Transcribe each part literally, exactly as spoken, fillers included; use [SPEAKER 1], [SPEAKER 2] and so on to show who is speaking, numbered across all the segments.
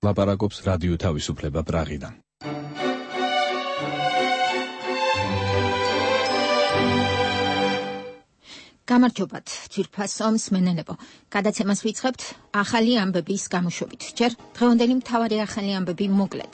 [SPEAKER 1] ლაპარაკობს რადიო თავისუფლება პრაღიდან.
[SPEAKER 2] გამარჯობათ, ძვირფასო მსმენელებო. გადაცემას ვიწყებთ ახალი ამბების გამოშვებით. ჯერ დღევანდელი მთავარი ახალი ამბები მოკლედ.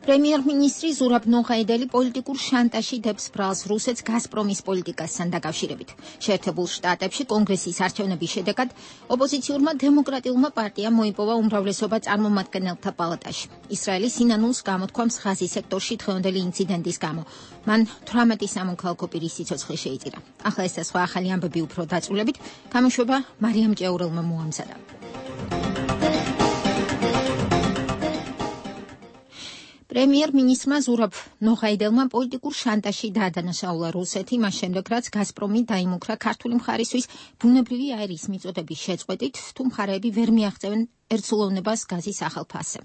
[SPEAKER 2] პრემიერ-მინისტრი ზურაბ ნოღაიდელი პოლიტიკურ შანტაჟში დებს ბრალს რუსეთს გაზპრომის პოლიტიკასთან დაკავშირებით. შეერთებულ შტატებში კონგრესის არჩევნების შედეგად ოპოზიციურმა დემოკრატიულმა პარტიამ მოიპოვა უმრავლესობა წარმომადგენელთა პალატაში. ისრაელი სინანულს გამოთქვამს ღაზის სექტორში დღევანდელი ინციდენტის გამო. მან თვრამეტი სამოქალაქო პირის სიცოცხლე შეიწირა. ახლა ეს და სხვა ახალი ამბები უფრო დაწვრილებით, გამოშვება მარიამ ჭეურელმა მოამზადა. პრემიერ-მინისტრმა ზურაბ ნოღაიდელმა პოლიტიკურ შანტაჟში დაადანაშაულა რუსეთი, მას შემდეგ რაც გაზპრომი დაიმუქრა ქართული მხარისთვის ბუნებრივი აირის მიწოდების შეწყვეტით, თუ მხარეები ვერ მიაღწევენ ერთსულოვნებას გაზის ახალ ფასზე.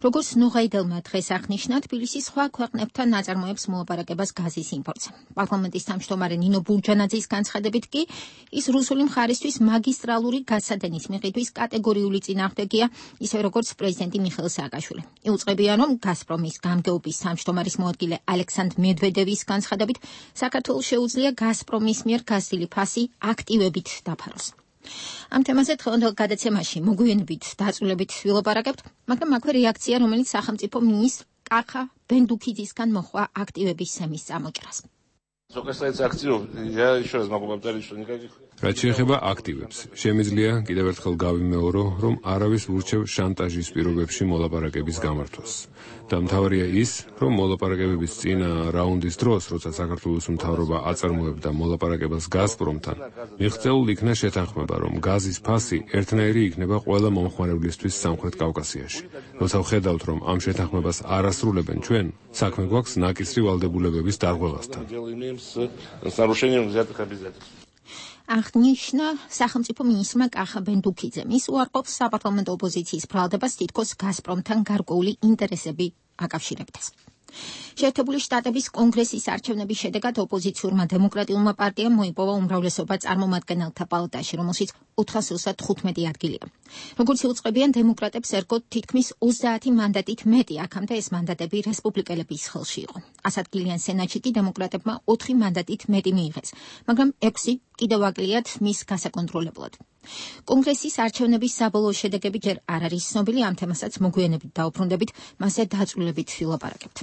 [SPEAKER 2] როგორც ნოღაიდელმა დღეს აღნიშნა, თბილისი სხვა ქვეყნებთან ნაწარმოებს მოლაპარაკებას გაზის იმპორტზე. პარლამენტის თავმჯდომარე ნინო ბურჯანაძის განცხადებით კი, ის რუსული მხარისთვის მაგისტრალური გაზსადენის მიყიდვის კატეგორიული წინააღმდეგია, ისე როგორც პრეზიდენტი მიხეილ სააკაშვილი. იუწყებია, რომ გაზპრომის გამგეობის თავმჯდომარის მოადგილე ალექსანდრ მედვედევის განცხადებით, საქართველოს შეუძლია გაზპრომის მიერ გაზრდილი ფასი აქტივებით დაფაროს. ამ თემაზე დღევანდელ გადაცემაში მოგვიანებით დაწვრილებით ვილაპარაკებთ, მაგრამ აქვე რეაქცია, რომელიც სახელმწიფო მინისტრ კახა ბენდუქიძისგან მოჰყვა აქტივების სემის წამოჭრას.
[SPEAKER 3] რაც შეეხება აქტივებს, შემიძლია კიდევ ერთხელ გავიმეორო, რომ არავის ურჩევ შანტაჟის პირობებში მოლაპარაკების გამართვას. და მთავარია ის, რომ მოლაპარაკებების წინა რაუნდის დროს, როცა საქართველოს მთავრობა აწარმოებდა მოლაპარაკებას გაზპრომთან, მიღწეულ იქნა შეთანხმება, რომ გაზის ფასი ერთნაირი იქნება ყველა მომხმარებლისთვის სამხრეთ კავკასიაში. როცა ვხედავთ, რომ ამ შეთანხმებას არ ასრულებენ ჩვენ, საქმე გვაქვს ნაკისრი ვალდებულებების დარღვევასთან.
[SPEAKER 2] აღნიშნა სახელმწიფო მინისტრმა კახა ბენდუქიძემ. ის უარყოფს საპარლამენტო ოპოზიციის ბრალდებას თითქოს გაზპრომთან გარკვეული ინტერესები აკავშირებდეს. შეერთებული შტატების კონგრესის არჩევნების შედეგად ოპოზიციურმა დემოკრატიულმა პარტიამ მოიპოვა უმრავლესობა წარმომადგენელთა პალატაში, რომელშიც ოთხას ოცდათხუთმეტი ადგილია. როგორც იუწყებიან დემოკრატებს ერგოთ თითქმის ოცდაათი მანდატით მეტი, აქამდე ეს მანდატები რესპუბლიკელების ხელში იყო. ასადგილიან სენატში კი დემოკრატებმა ოთხი მანდატით მეტი მიიღეს, მაგრამ ექვსი კიდევ აკლიათ მის გასაკონტროლებლად. კონგრესის არჩევნების საბოლოო შედეგები ჯერ არ არის ცნობილი, ამ თემასაც მოგვიანებით დაუბრუნდებით, მასზე დაწვრილებით ვილაპარაკებთ.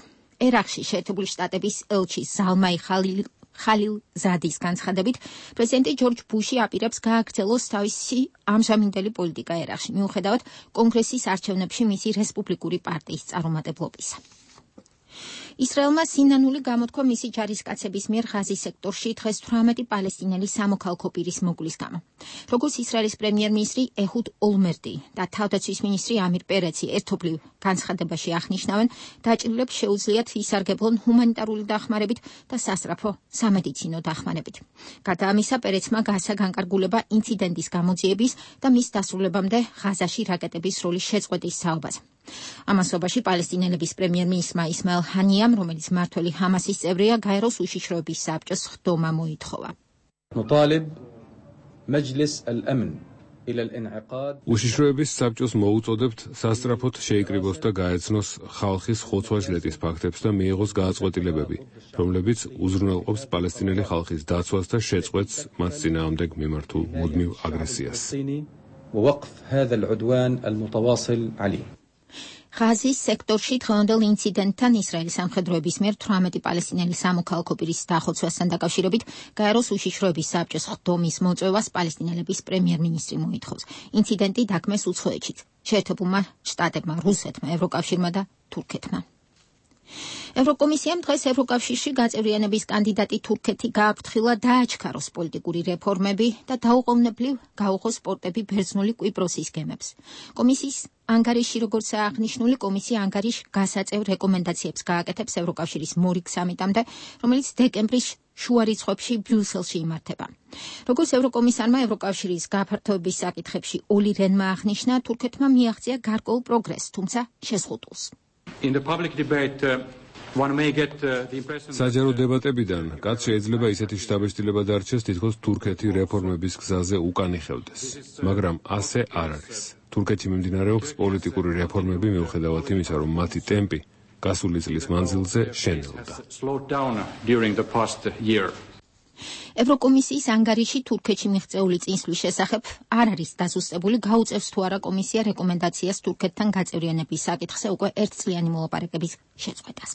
[SPEAKER 2] ერაყში შეერთებული შტატების ელჩი ზალმაი ხალილ ხალილზადის განცხადებით, პრეზიდენტი ჯორჯ ბუში აპირებს გააგრძელოს თავისი ამჟამინდელი პოლიტიკა ერაყში, მიუხედავად კონგრესის არჩევნებში მისი რესპუბლიკური პარტიის წარუმატებლობისა. ისრაელმა სინანული გამოთქვა მისი ჯარისკაცების მიერ ღაზის სექტორში დღეს თვრამეტი პალესტინელი სამოქალაქო პირის მოგლის გამო. როგორც ისრაელის პრემიერ-მინისტრი ეჰუდ ოლმერტი და თავდაცვის მინისტრი ამირ პერეცი ერთობლივ განცხადებაში აღნიშნავენ, დაჭრილებს შეუძლიათ ისარგებლონ ჰუმანიტარული დახმარებით და სასწრაფო სამედიცინო დახმარებით. გარდა ამისა, პერეცმა გაასა განკარგულება ინციდენტის გამოძიების და მის დასრულებამდე ღაზაში რაკეტების როლის შეწყვეტის საუბარზე. ამასობაში პალესტინელების პრემიერ-მინისტრმა ისმაილ ჰანიამ, რომელიც მმართველი ჰამასის წევრია, გაეროს უშიშროების საბჭოს ხდომა მოითხოვა.
[SPEAKER 3] უშიშროების საბჭოს მოუწოდებთ სასწრაფოდ შეიკრიბოს და გაეცნოს ხალხის ხოცვა-ჟლეტის ფაქტებს და მიიღოს გააწყვეტილებები, რომლებიც უზრუნველყოფს პალესტინელი ხალხის დაცვას და შეწყვეტს მათ წინააღმდეგ მიმართულ მუდმივ აგრესიას.
[SPEAKER 2] ღაზის სექტორში დღევანდელ ინციდენტთან ისრაელის სამხედროების მიერ თვრამეტი პალესტინელი სამოქალაქო პირის დახოცვასთან დაკავშირებით გაეროს უშიშროების საბჭოს ხდომის მოწვევას პალესტინელების პრემიერ-მინისტრი მოითხოვს. ინციდენტი დაგმეს უცხოეთშიც, შეერთებულმა შტატებმა, რუსეთმა, ევროკავშირმა და თურქეთმა. ევროკომისიამ დღეს ევროკავშირში გაწევრიანების კანდიდატი თურქეთი გააფრთხილა დააჩქაროს პოლიტიკური რეფორმები და დაუყოვნებლივ გაუღოს პორტები ბერძნული კვიპროსის გემებს. კომისიის ანგარიში, როგორც აღნიშნული, კომისია ანგარიშ გასაწევ რეკომენდაციებს გააკეთებს ევროკავშირის მორიგ სამიტამდე, რომელიც დეკემბრის შუა რიცხვებში ბრიუსელში იმართება. როგორც ევროკომისარმა ევროკავშირის გაფართოების საკითხებში ოლი რენმა აღნიშნა, თურქეთმა მიაღწია გარკვეულ პროგრესს, თუმცა შეზღუდულს.
[SPEAKER 4] In the public debate, uh,
[SPEAKER 3] საჯარო დებატებიდან კაც შეიძლება ისეთი შთაბეჭდილება დარჩეს, თითქოს თურქეთი რეფორმების გზაზე უკან იხევდეს. მაგრამ ასე არ არის. თურქეთში მიმდინარეობს პოლიტიკური რეფორმები მიუხედავად იმისა, რომ მათი ტემპი გასული წლის მანძილზე შენელდა.
[SPEAKER 2] ევროკომისიის ანგარიში თურქეთში მიღწეული წინსვლის შესახებ არ არის დაზუსტებული, გაუწევს თუ არა კომისია რეკომენდაციას თურქეთთან გაწევრიანების საკითხზე უკვე ერთწლიანი მოლაპარაკების შეწყვეტას.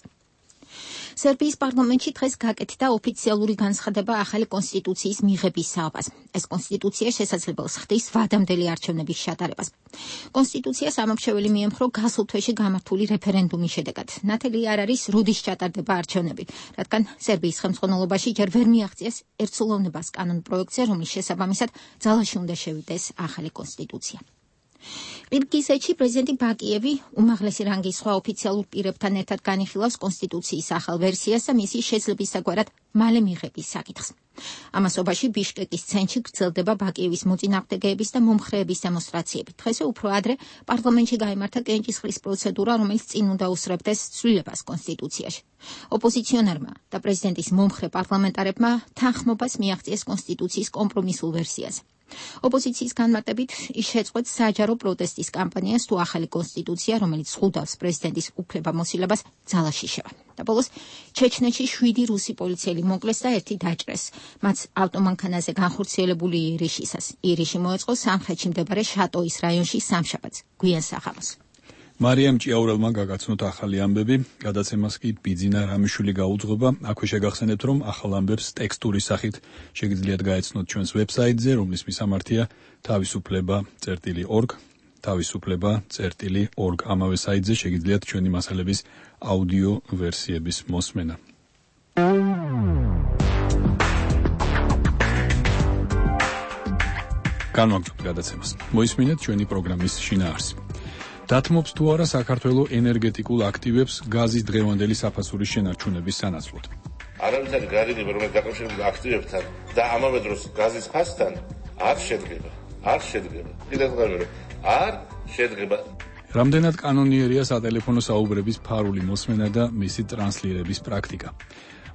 [SPEAKER 2] სერბიის პარლამენტში დღეს გაკეთდა ოფიციალური განცხადება ახალი კონსტიტუციის მიღების საუბარს. ეს კონსტიტუცია შესაძლებელს ხდის ვადამდელი არჩევნების შეტარებას. კონსტიტუციას ამომრჩეველი მიემხრო გასულ თვეში გამართული რეფერენდუმის შედეგად. ნათელი არ არის, როდის ჩატარდება არჩევნები, რადგან სერბიის ხელმძღვანელობაში ჯერ ვერ მიაღწიეს ერთსულოვნებას კანონ პროექტზე, რომლის შესაბამისად ძალაში უნდა შევიდეს ახალი კონსტიტუცია. ყირგიზეთში პრეზიდენტი ბაკიევი უმაღლესი რანგის სხვა ოფიციალურ პირებთან ერთად განიხილავს კონსტიტუციის ახალ ვერსიას და მისი შეძლებისაგვარად მალე მიღების საკითხს. ამასობაში ბიშკეკის ცენტრში გრძელდება ბაკიევის მოწინააღმდეგეების და მომხრეების დემონსტრაციები. დღესვე უფრო ადრე პარლამენტში გაიმართა კენჭისყრის პროცედურა, რომელიც წინ უნდა უსწრებდეს ცვლილებას კონსტიტუციაში. ოპოზიციონერმა და პრეზიდენტის მომხრე პარლამენტარებმა თანხმობას მიაღწიეს კონსტიტუციის კომპრომისულ ვერსიაზე. ოპოზიციის განმარტებით ის შეწყვეტს საჯარო პროტესტის კამპანიას თუ ახალი კონსტიტუცია, რომელიც ზღუდავს პრეზიდენტის უფლებამოსილებას, ძალაში შევა. და ბოლოს ჩეჩნეთში შვიდი რუსი პოლიციელი მოკლეს და ერთი დაჭრეს. მათ ავტომანქანაზე განხორციელებული ირიშისას. ირიში მოეწყო სამხრეთში მდებარე შატოის რაიონში სამშაბათს, გვიან საღამოს.
[SPEAKER 1] მარიამ ჭიაურელმა გაგაცნოთ ახალი ამბები, გადაცემას კი ბიძინა რამიშვილი გაუძღვება. აქვე შეგახსენებთ, რომ ახალ ამბებს ტექსტურის სახით შეგიძლიათ გაეცნოთ ჩვენს ვებსაიტზე, რომლის მისამართია თავისუფლება წერტილი ორგ, თავისუფლება წერტილი ორგ. ამავე საიტზე შეგიძლიათ ჩვენი მასალების აუდიო ვერსიების მოსმენა. განვაგრძობთ გადაცემას. მოისმინეთ ჩვენი პროგრამის შინაარსი. დათმობს თუ არა საქართველოს ენერგეტიკულ აქტივებს გაზის დღევანდელი საფასურის შენარჩუნების სანაცვლოდ.
[SPEAKER 4] არავითარი გარიგება, რომელიც დაკავშირებულია აქტივებთან და ამავე დროს გაზის ფასთან არ შედგება. არ შედგება. კიდევ ერთხელ არ შედგება.
[SPEAKER 1] რამდენად კანონიერია სატელეფონო საუბრების ფარული მოსმენა და მისი ტრანსლირების პრაქტიკა.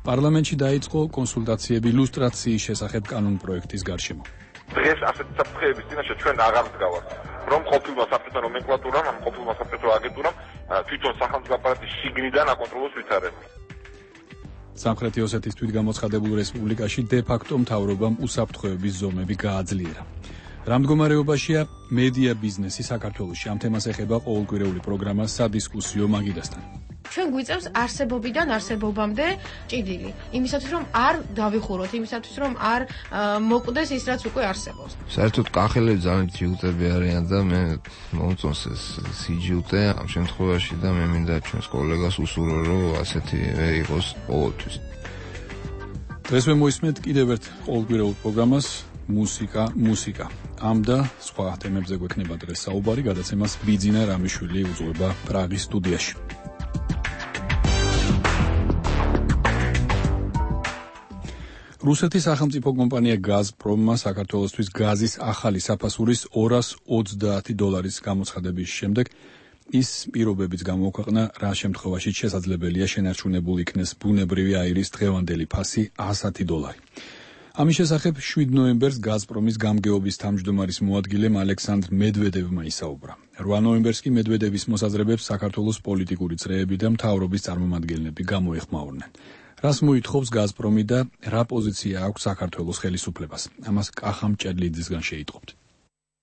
[SPEAKER 1] პარლამენტში დაიწყო კონსულტაციები ილუსტრაციის შესახებ კანონ პროექტის გარშემო.
[SPEAKER 5] დღეს ასეთი საფრთხეების წინაშე ჩვენ აღარ ვდგავართ. რომ ყოფილმა საბჭოთა ნომენკლატურამ, ამ ყოფილმა საბჭოთა აგენტურამ თვითონ სახელმწიფო აპარატის შიგნიდან აკონტროლოს ვითარება.
[SPEAKER 1] სამხრეთი ოსეთის თვითგამოცხადებულ რესპუბლიკაში დე-ფაქტო მთავრობამ უსაფრთხოების ზომები გააძლიერა. რა მდგომარეობაშია მედია ბიზნესი საქართველოში? ამ თემას ეხება ყოველკვირეული პროგრამა სადისკუსიო მაგიდასთან.
[SPEAKER 6] ჩვენ გვიწევს არსებობიდან არსებობამდე ჭიდილი. იმისათვის რომ არ დავიხუროთ, იმისათვის რომ არ მოკვდეს ის რაც უკვე არსებობს.
[SPEAKER 7] საერთოდ კახელები ძალიან ჯიუტები არიან და მე მომწონს ეს სიჯუტე ამ შემთხვევაში და მე მინდა ჩვენს კოლეგას უსურვო რომ ასეთი იყოს ყოველთვის.
[SPEAKER 1] დღესვე მოისმენთ კიდევ ერთ ყოველკვირეულ პროგრამას მუსიკა, მუსიკა. ამ და სხვა თემებზე გვექნება დღეს საუბარი, გადაცემას ბიძინა რამიშვილი უძღვება პრაღის სტუდიაში. რუსეთის სახელმწიფო კომპანია გაზპრომმა საქართველოსთვის გაზის ახალი საფასურის ორას ოცდაათი დოლარის გამოცხადების შემდეგ ის პირობებიც გამოქვეყნა, რა შემთხვევაში შესაძლებელია შენარჩუნებულ იქნეს ბუნებრივი აირის დღევანდელი ფასი ასი დოლარი. ამის შესახებ შვიდ ნოემბერს გაზპრომის გამგეობის თავმჯდომარის მოადგილემ ალექსანდრ მედვედევმა ისაუბრა. რვა ნოემბერს კი მედვედევის მოსაზრებებს საქართველოს პოლიტიკური წრეები და მთავრობის წარმომადგენლები გამოეხმაურნენ. რას მოითხოვს გაზპრომი და რა პოზიცია აქვს საქართველოს ხელისუფლებას? ამას კახამ ჭერლიძისგან შეიტყობთ.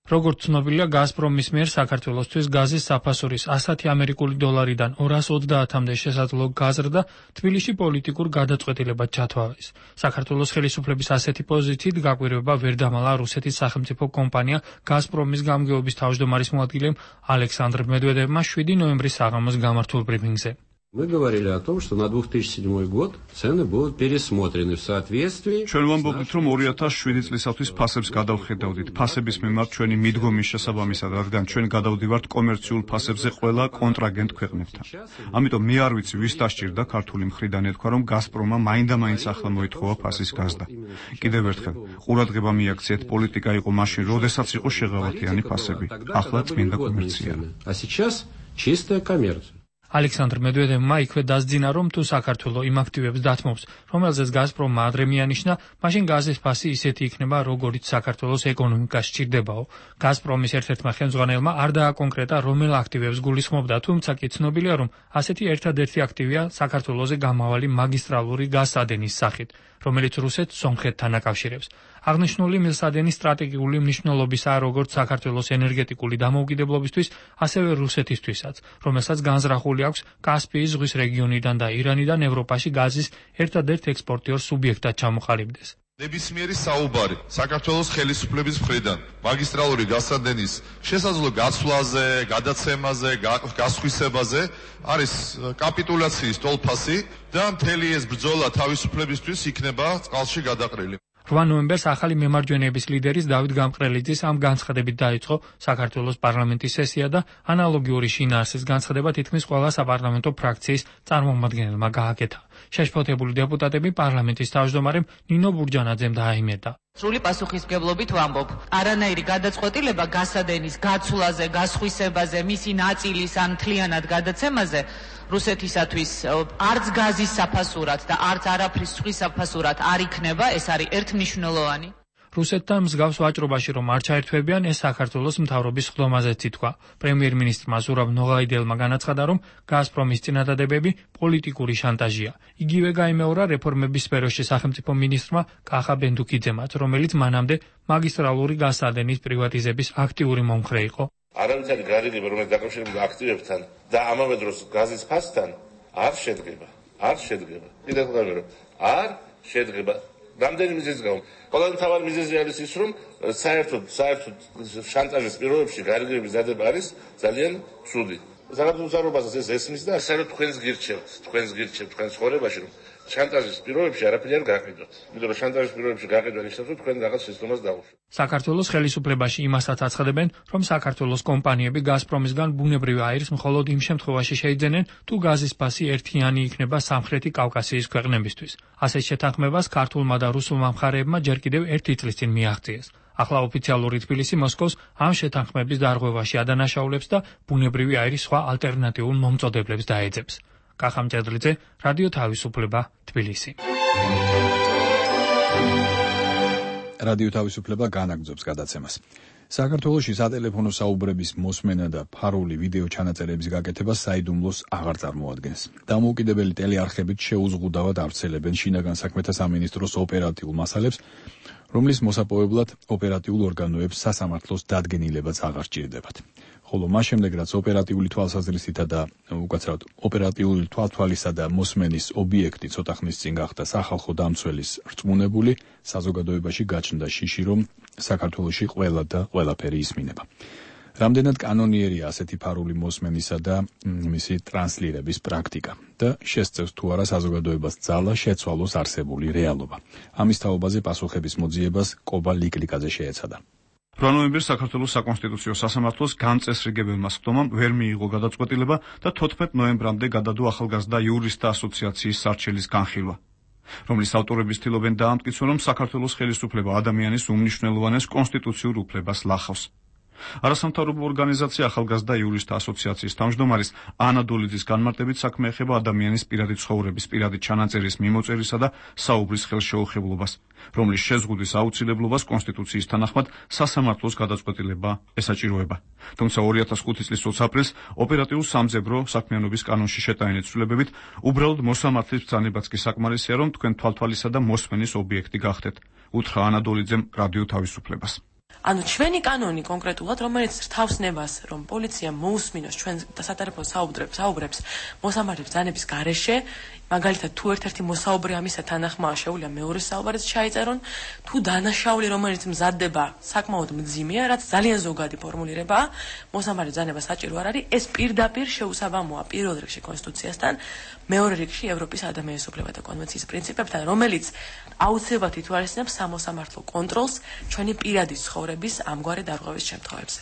[SPEAKER 8] როგორც ცნობილია, გაზპრომის მიერ საქართველოსთვის გაზის საფასურის ასი ამერიკული დოლარიდან ორას ოცდაათამდე შესაძლო გაზრდა თბილისში პოლიტიკურ გადაწყვეტილებად ჩათვალეს. საქართველოს ხელისუფლების ასეთი პოზიციით გაკვირვება ვერ დამალა რუსეთის სახელმწიფო კომპანია გაზპრომის გამგეობის თავმჯდომარის მოადგილემ ალექსანდრ მედვედევმა შვიდი ნოემბრის საღამოს გამართულ ბრიფინგზე.
[SPEAKER 9] Мы говорили о том, что на две тысячи седьмой год цены будут пересмотрены в соответствии.
[SPEAKER 10] ჩვენ ვამბობთ, რომ ორი ათას შვიდი წლისათვის ფასებს გადავხედავდით. ფასების მიმართ ჩვენი მიდგომის შესაბამისად, რადგან ჩვენ გადავდივართ კომერციულ ფასებზე ყველა კონტრაგენტ ქვეყნებთან. ამიტომ მე არ ვიცი, ვის დასჭირდა ქართული მხრიდან ეთქვა, რომ გაზპრომმა მაინდა-მაინც ახლა მოითხოვა ფასის გაზრდა. კიდევ ერთხელ, ყურადღება მიაქციეთ, პოლიტიკა იყო მაშინ, როდესაც იყო შეღავათიანი ფასები. ახლა წმინდა კომერცია.
[SPEAKER 9] А сейчас чистая коммерция.
[SPEAKER 8] ალექსანდრ მედვედევმა იქვე დასძინა, რომ თუ საქართველო იმ აქტივებს დათმობს, რომელზეც გაზპრომმა ადრე მიანიშნა, მაშინ გაზის ფასი ისეთი იქნება, როგორიც საქართველოს ეკონომიკას სჭირდებაო. გაზპრომის ერთ-ერთმა ხელმძღვანელმა არ დააკონკრეტა, რომელ აქტივებს გულისხმობდა, თუმცა კი ცნობილია, რომ ასეთი ერთადერთი აქტივია საქართველოზე გამავალი მაგისტრალური გაზსადენის სახით, რომელიც რუსეთს სომხეთთან აკავშირებს. აღნიშნული მილსადენი სტრატეგიული მნიშვნელობისაა როგორც საქართველოს ენერგეტიკული დამოუკიდებლობისთვის, ასევე რუსეთისთვისაც, რომელსაც განზრახული აქვს კასპიის ზღვის რეგიონიდან და ირანიდან ევროპაში გაზის ერთადერთ ექსპორტიორ სუბიექტად ჩამოყალიბდეს.
[SPEAKER 11] ნებისმიერი საუბარი საქართველოს ხელისუფლების მხრიდან მაგისტრალური გაზსადენის შესაძლო გაცვლაზე, გადაცემაზე, გასხვისებაზე არის კაპიტულაციის ტოლფასი და მთელი ეს ბრძოლა თავისუფლებისთვის იქნება წყალში გადაყრილი.
[SPEAKER 8] რვა ნოემბერს ახალი მემარჯვენეების ლიდერის დავით გამყრელიძის ამ განცხადებით დაიწყო საქართველოს პარლამენტის სესია და ანალოგიური შინაარსის განცხადება თითქმის ყველა საპარლამენტო ფრაქციის წარმომადგენელმა გააკეთა. შეშფოთებული დეპუტატები პარლამენტის თავმჯდომარემ ნინო ბურჯანაძემ დააიმედა.
[SPEAKER 12] სრული პასუხისმგებლობით ვამბობ, არანაირი გადაწყვეტილება გაზსადენის გაცვლაზე, გასხვისებაზე, მისი ნაწილის ან მთლიანად გადაცემაზე რუსეთისათვის არც გაზის საფასურად და არც არაფრის სხვის საფასურად არ იქნება, ეს არის ერთმნიშვნელოვანი.
[SPEAKER 8] რუსეთთან მსგავს ვაჭრობაში რომ არ ჩაერთვებიან, ეს საქართველოს მთავრობის ხდომაზეც ითქვა. პრემიერ-მინისტრმა ზურაბ ნოღაიდელმა განაცხადა, რომ გაზპრომის წინადადებები პოლიტიკური შანტაჟია. იგივე გაიმეორა რეფორმების სფეროში სახელმწიფო მინისტრმა კახა ბენდუკიძემაც, რომელიც მანამდე მაგისტრალური გაზსადენის პრივატიზების აქტიური მომხრე იყო.
[SPEAKER 4] არავითარი გარიგება, რომელიც დაკავშირებულია აქტივებთან და ამავე დროს გაზის ფასთან არ შედგება. არ შედგება. კიდევ ვამბობ, არ შედგება. რამდენი მიზეზი გამო? ყველაზე მთავარი მიზეზი არის ის, რომ საერთოდ საერთოდ შანტაჟის პირობებში გარიგების დადება არის ძალიან ცუდი. საქართველოს მთავრობასაც ეს ესმის და საერთოდ თქვენს გირჩევთ, თქვენს გირჩევთ თქვენს ხორებაში, რომ შანტაჟის პირობებში არაფერი არ გაყიდოთ. იმიტომ რომ შანტაჟის პირობებში გაყიდვა ნიშნავს, რომ თქვენ რაღაც სისტემას დაუშვათ.
[SPEAKER 8] საქართველოს ხელისუფლებაში იმასაც აცხადებენ, რომ საქართველოს კომპანიები გაზპრომისგან ბუნებრივ აირს მხოლოდ იმ შემთხვევაში შეიძენენ, თუ გაზის ფასი ერთიანი იქნება სამხრეთი კავკასიის ქვეყნებისთვის. ასეთ შეთანხმებას ქართულმა და რუსულმა მხარეებმა ჯერ კიდევ ერთი წლის წინ მიაღწიეს. ახლა ოფიციალური თბილისი მოსკოვს ამ შეთანხმების დარღვევაში ადანაშაულებს და ბუნებრივი აირის სხვა ალტერნატიულ მომწოდებლებს დაეძებს. კახა მჭედლიძე, რადიო თავისუფლება, თბილისი.
[SPEAKER 1] რადიო თავისუფლება განაგრძობს გადაცემას. საქართველოში სატელეფონო საუბრების მოსმენა და ფარული ვიდეო ჩანაწერების გაკეთება საიდუმლოს აღარ წარმოადგენს. დამოუკიდებელი ტელეარხებით შეუზღუდავად ავრცელებენ შინაგან საქმეთა სამინისტროს ოპერატიულ მასალებს, რომლის მოსაპოვებლად ოპერატიულ ორგანოებს სასამართლოს დადგენილებაც აღარ სჭირდებათ. ხოლო მას შემდეგ, რაც ოპერატიული თვალსაზრისითა და უკაცრავად ოპერატიული თვალთვალისა და მოსმენის ობიექტი ცოტა ხნის წინ გახდა სახალხო დამცველის რწმუნებული, საზოგადოებაში გაჩნდა შიში, რომ საქართველოში ყველა და ყველაფერი ისმინება. რამდენად კანონიერია ასეთი ფარული მოსმენისა და მისი ტრანსლირების პრაქტიკა და შესწევს თუ არა საზოგადოებას ძალა შეცვალოს არსებული რეალობა. ამის თაობაზე პასუხების მოძიებას კობა ლიკლიკაძე შეეცადა.
[SPEAKER 10] რვა ნოემბერს საქართველოს საკონსტიტუციო სასამართლოს განწესრიგებელმა სხდომამ ვერ მიიღო გადაწყვეტილება და თოთხმეტ ნოემბრამდე გადადო ახალგაზრდა იურისტთა ასოციაციის სარჩელის განხილვა, რომლის ავტორები ცდილობენ დაამტკიცონ, რომ საქართველოს ხელისუფლება ადამიანის უმნიშვნელოვანეს კონსტიტუციურ უფლებას ლახავს. არასამთავრობო ორგანიზაცია ახალგაზრდა იურისტთა ასოციაციის თავმჯდომარის ანა დოლიძის განმარტებით საქმე ეხება ადამიანის პირადი ცხოვრების, პირადი ჩანაწერის მიმოწერისა და საუბრის ხელშეუხებლობას, რომლის შეზღუდის აუცილებლობას კონსტიტუციის თანახმად სასამართლოს გადაწყვეტილება ესაჭიროება. თუმცა ორი ათას ხუთი წლის ოც აპრილს ოპერატიულ სამძებრო საქმიანობის კანონში შეტანილი ცვლილებებით უბრალოდ მოსამართლის ბრძანებაც კი საკმარისია, რომ თქვენ თვალთვალისა და მოსმენის ობიექტი გახდეთ, უთხრა ანა დოლიძემ რადიო თავისუფლებას.
[SPEAKER 13] ანუ ჩვენი კანონი კონკრეტულად, რომელიც რთავს ნებას, რომ პოლიცია მოусმინოს ჩვენ სატელეფონო საუბრებს, საუბრებს მოსამართლის ბრძანების გარეშე, მაგალითად თუ ერთ-ერთი მოსაუბრი ამისა თანახმაა შეუძლია მეორე საუბარიც ჩაიწერონ, თუ დანაშაული რომელიც მზადდება საკმაოდ მძიმეა, რაც ძალიან ზოგადი ფორმულირებაა, მოსამართლის ბრძანება საჭირო არ არის, ეს პირდაპირ შეუსაბამოა პირველ რიგში კონსტიტუციასთან, მეორე რიგში ევროპის ადამიანის უფლებათა კონვენციის პრინციპებთან, რომელიც აუცილებლად ითვალისწინებს სამოსამართლო კონტროლს ჩვენი პირადი ცხოვრების ამგვარი დარღვევის შემთხვევებზე.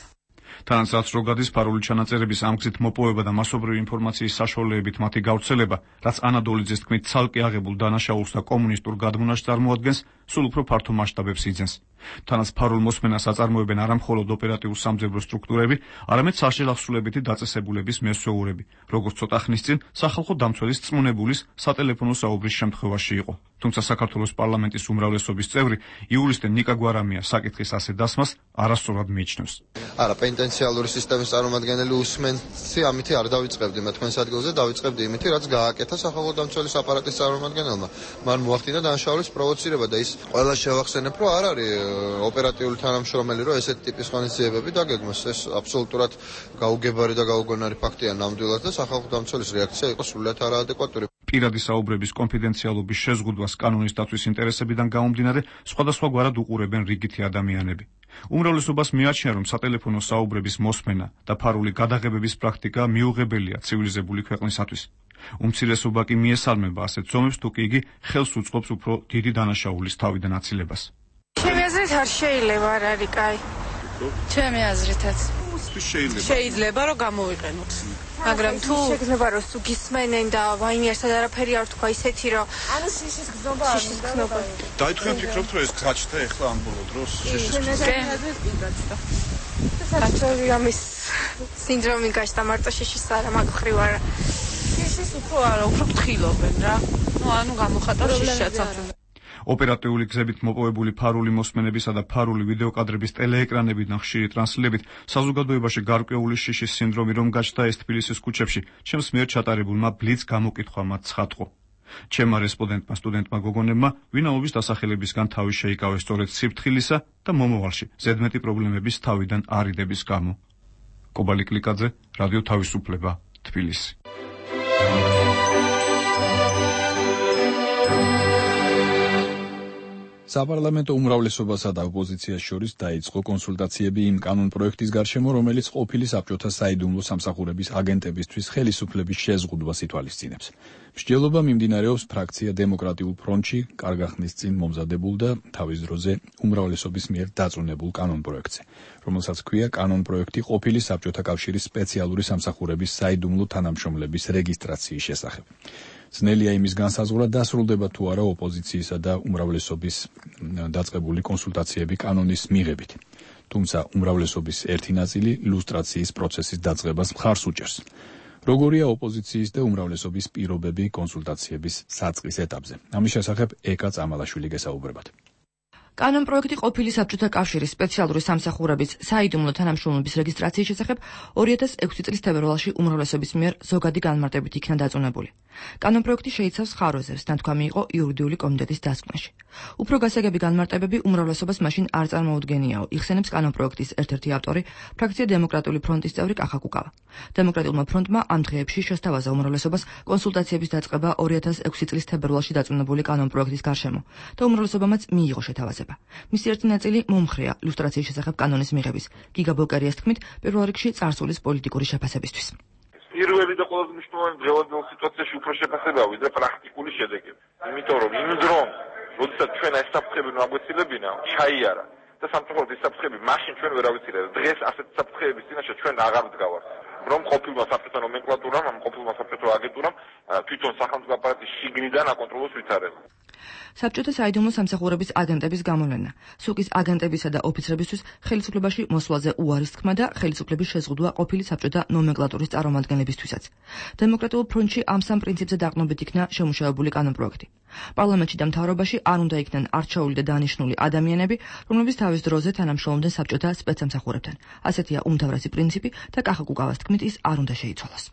[SPEAKER 10] თანაც რო გადის ფარული ჩანაწერების ამ გზით მოპოვება და მასობრივი ინფორმაციის საშუალებით მათი გავრცელება, რაც ანა დოლიძის თქმით ცალკე აღებულ დანაშაულს და კომუნისტურ გადმონაშთს წარმოადგენს, სულ უფრო ფართო მასშტაბებს იძენს. თანაც ფარულ მოსმენას აწარმოებენ არა მხოლოდ ოპერატიულ სამძებრო სტრუქტურები, არამედ საშელახსულებითი დაწესებულების მესვეურები, როგორც ცოტა ხნის წინ სახალხო დამცველის წმუნებულის სატელეფონო საუბრის შემთხვევაში იყო. თუმცა საქართველოს პარლამენტის უმრავლესობის წევრი იულისტე ნიკა გვარამია საკითხის ასე დასმას არასწორად მიიჩნევს.
[SPEAKER 14] არა, პენტენციალური სისტემის წარმომადგენელი უსმენცი ამითი არ დავიწყებდი მე თქვენს ადგილზე, დავიწყებდი იმითი, რაც გააკეთა სახალხო დამცველის აპარატის წარმომადგენელმა. მან მოახდინა დანაშაულის პროვოცირება და ის ყველა შევახსენებ, რომ არ არის ოპერატიული თანამშრომელი, რომ ესეთი ტიპის ღონისძიებები დაგეგმოს. ეს აბსოლუტურად გაუგებარი და გაუგონარი ფაქტია ნამდვილად და სახალხო დამცველის რეაქცია იყო სრულიად არაადეკვატური.
[SPEAKER 10] პირადი საუბრების კონფიდენციალობის შეზღუდვას კანონის დაცვის ინტერესებიდან გამომდინარე სხვადასხვაგვარად უყურებენ რიგითი ადამიანები. უმრავლესობას მიაჩნია, რომ სატელეფონო საუბრების მოსმენა და ფარული გადაღებების პრაქტიკა მიუღებელია ცივილიზებული ქვეყნისათვის. უმცირესობა კი მიესალმება ასეთ ზომებს, თუ კი იგი ხელს უწყობს უფრო დიდი დანაშაულის თავიდან აცილებას.
[SPEAKER 15] ჩემი აზრით არ შეიძლება, არ არის კაი. ჩემი აზრითაც
[SPEAKER 11] შეიძლება.
[SPEAKER 15] შეიძლება რომ გამოვიყენოთ. მაგრამ თუ შეიძლება რომ თუ გისმენენ და ვაიმე ერთად არაფერი არ თქვა ისეთი რომ ანუ შიშის გზნობა არ უნდა.
[SPEAKER 11] დაიწყენ ფიქრობთ რომ ეს გაჩნდა ახლა ამ ბოლო დროს შიშის
[SPEAKER 15] გზნობა. საერთოდ ამის სინდრომი გაჩნდა მარტო შიშის არა მაგ ხრივ არა. შიშის უფრო არა, უფრო ფრთხილობენ რა. ნუ ანუ გამოხატავს შიშაც ამ
[SPEAKER 10] ოპერატიული გზებით მოპოვებული ფარული მოსმენებისა და ფარული ვიდეოკადრების ტელეეკრანებიდან ხშირი ტრანსლებით საზოგადოებაში გარკვეული შიშის სინდრომი რომ გაჩნდა ეს თბილისის ქუჩებში, ჩემს მიერ ჩატარებულმა ბლიც გამოკითხვამ ცხადყო. ჩემმა რესპონდენტმა სტუდენტმა გოგონებმა ვინაობის დასახელებისგან თავი შეიკავეს სწორედ სიფრთხილისა და მომავალში ზედმეტი პრობლემების თავიდან არიდების გამო. კობალი კლიკაძე, რადიო თავისუფლება, თბილისი.
[SPEAKER 1] საპარლამენტო უმრავლესობასა და ოპოზიციას შორის დაიწყო კონსულტაციები იმ კანონპროექტის გარშემო, რომელიც ყოფილი საბჭოთა საიდუმლო სამსახურების აგენტებისთვის ხელისუფლების შეზღუდვას ითვალისწინებს. მსჯელობა მიმდინარეობს ფრაქცია დემოკრატიულ ფრონტში კარგახნის წინ მომზადებულ და თავის დროზე უმრავლესობის მიერ დაწუნებულ კანონპროექტზე, რომელსაც ჰქვია კანონპროექტი ყოფილი საბჭოთა კავშირის სპეციალური სამსახურების საიდუმლო თანამშრომლების რეგისტრაციის შესახებ. ძნელია იმის განსაზღვრა დასრულდება თუ არა ოპოზიციისა და უმრავლესობის დაწყებული კონსულტაციები კანონის მიღებით. თუმცა უმრავლესობის ერთი ნაწილი ლუსტრაციის პროცესის დაწყებას მხარს უჭერს. როგორია ოპოზიციის და უმრავლესობის პირობები კონსულტაციების საწყის ეტაპზე? ამის შესახებ ეკა წამალაშვილი გესაუბრებათ.
[SPEAKER 16] კანონპროექტი ყოფილი საბჭოთა კავშირის სპეციალური სამსახურების საიდუმლო თანამშრომლობის რეგისტრაციის შესახებ ორი ათას ექვსი წლის თებერვალში უმრავლესობის მიერ ზოგადი განმარტებით იქნა დაწუნებული. კანონპროექტი შეიცავს ხარვეზებს, ნათქვამი იყო იურიდიული კომიტეტის დასკვნაში. უფრო გასაგები განმარტებები უმრავლესობას მაშინ არ წარმოუდგენიაო, იხსენებს კანონპროექტის ერთ-ერთი ავტორი, ფრაქცია დემოკრატიული ფრონტის წევრი კახა კუკავა. დემოკრატიულმა ფრონტმა ამ დღეებში შესთავაზა უმრავლესობას კონსულტაციების დაწყება ორი ათას ექვსი წლის თებერვალში დაწუნებული კანონპროექტის გარშემო და უმრავლესობამაც მიიღო შეთავაზება. მისი ერთი ნაწილი მომხრეა ლუსტრაციის შესახებ კანონის მიღების. გიგა ბოკერიას თქმით, პირველ რიგში წარსულის პოლიტიკური შეფასებისთვის.
[SPEAKER 5] პირველი და ყველაზე მნიშვნელოვანი დღევანდელ სიტუაციაში უფრო შეფასებაა ვიდრე პრაქტიკული შედეგები. იმიტომ რომ იმ დრომ, როდესაც ჩვენ ეს საფრთხები მაგვეცილებინა, ჩაიარა და სამწუხაროდ ეს საფრთხები მაშინ ჩვენ ვერ ავიცილეთ. დღეს ასეთ საფრთხეების წინაშე ჩვენ აღარ ვდგავართ. რომ ყოფილმა საბჭოთა ნომენკლატურამ, ამ ყოფილმა საბჭოთა აგენტურამ თვითონ სახელმწიფო აპარატის შიგნიდან აკონტროლოს ვითარება.
[SPEAKER 16] საბჭოთა საიდუმლო სამსახურების აგენტების გამოვლენა, სუკის აგენტებისა და ოფიცრებისთვის ხელისუფლებაში მოსვლაზე უარის თქმა და ხელისუფლების შეზღუდვა ყოფილი საბჭოთა ნომენკლატურის წარმომადგენლებისთვისაც. დემოკრატიულ ფრონტში ამ სამ პრინციპზე დაყრდნობით იქნა შემუშავებული კანონპროექტი. პარლამენტში და მთავრობაში არ უნდა იქნენ არჩეული და დანიშნული ადამიანები, რომლებიც თავის დროზე თანამშრომლობდნენ საბჭოთა სპეცსამსახურებთან. ასეთია უმთავრესი პრინციპი და კახა კუკავას თქმით ის არ უნდა შეიცვალოს.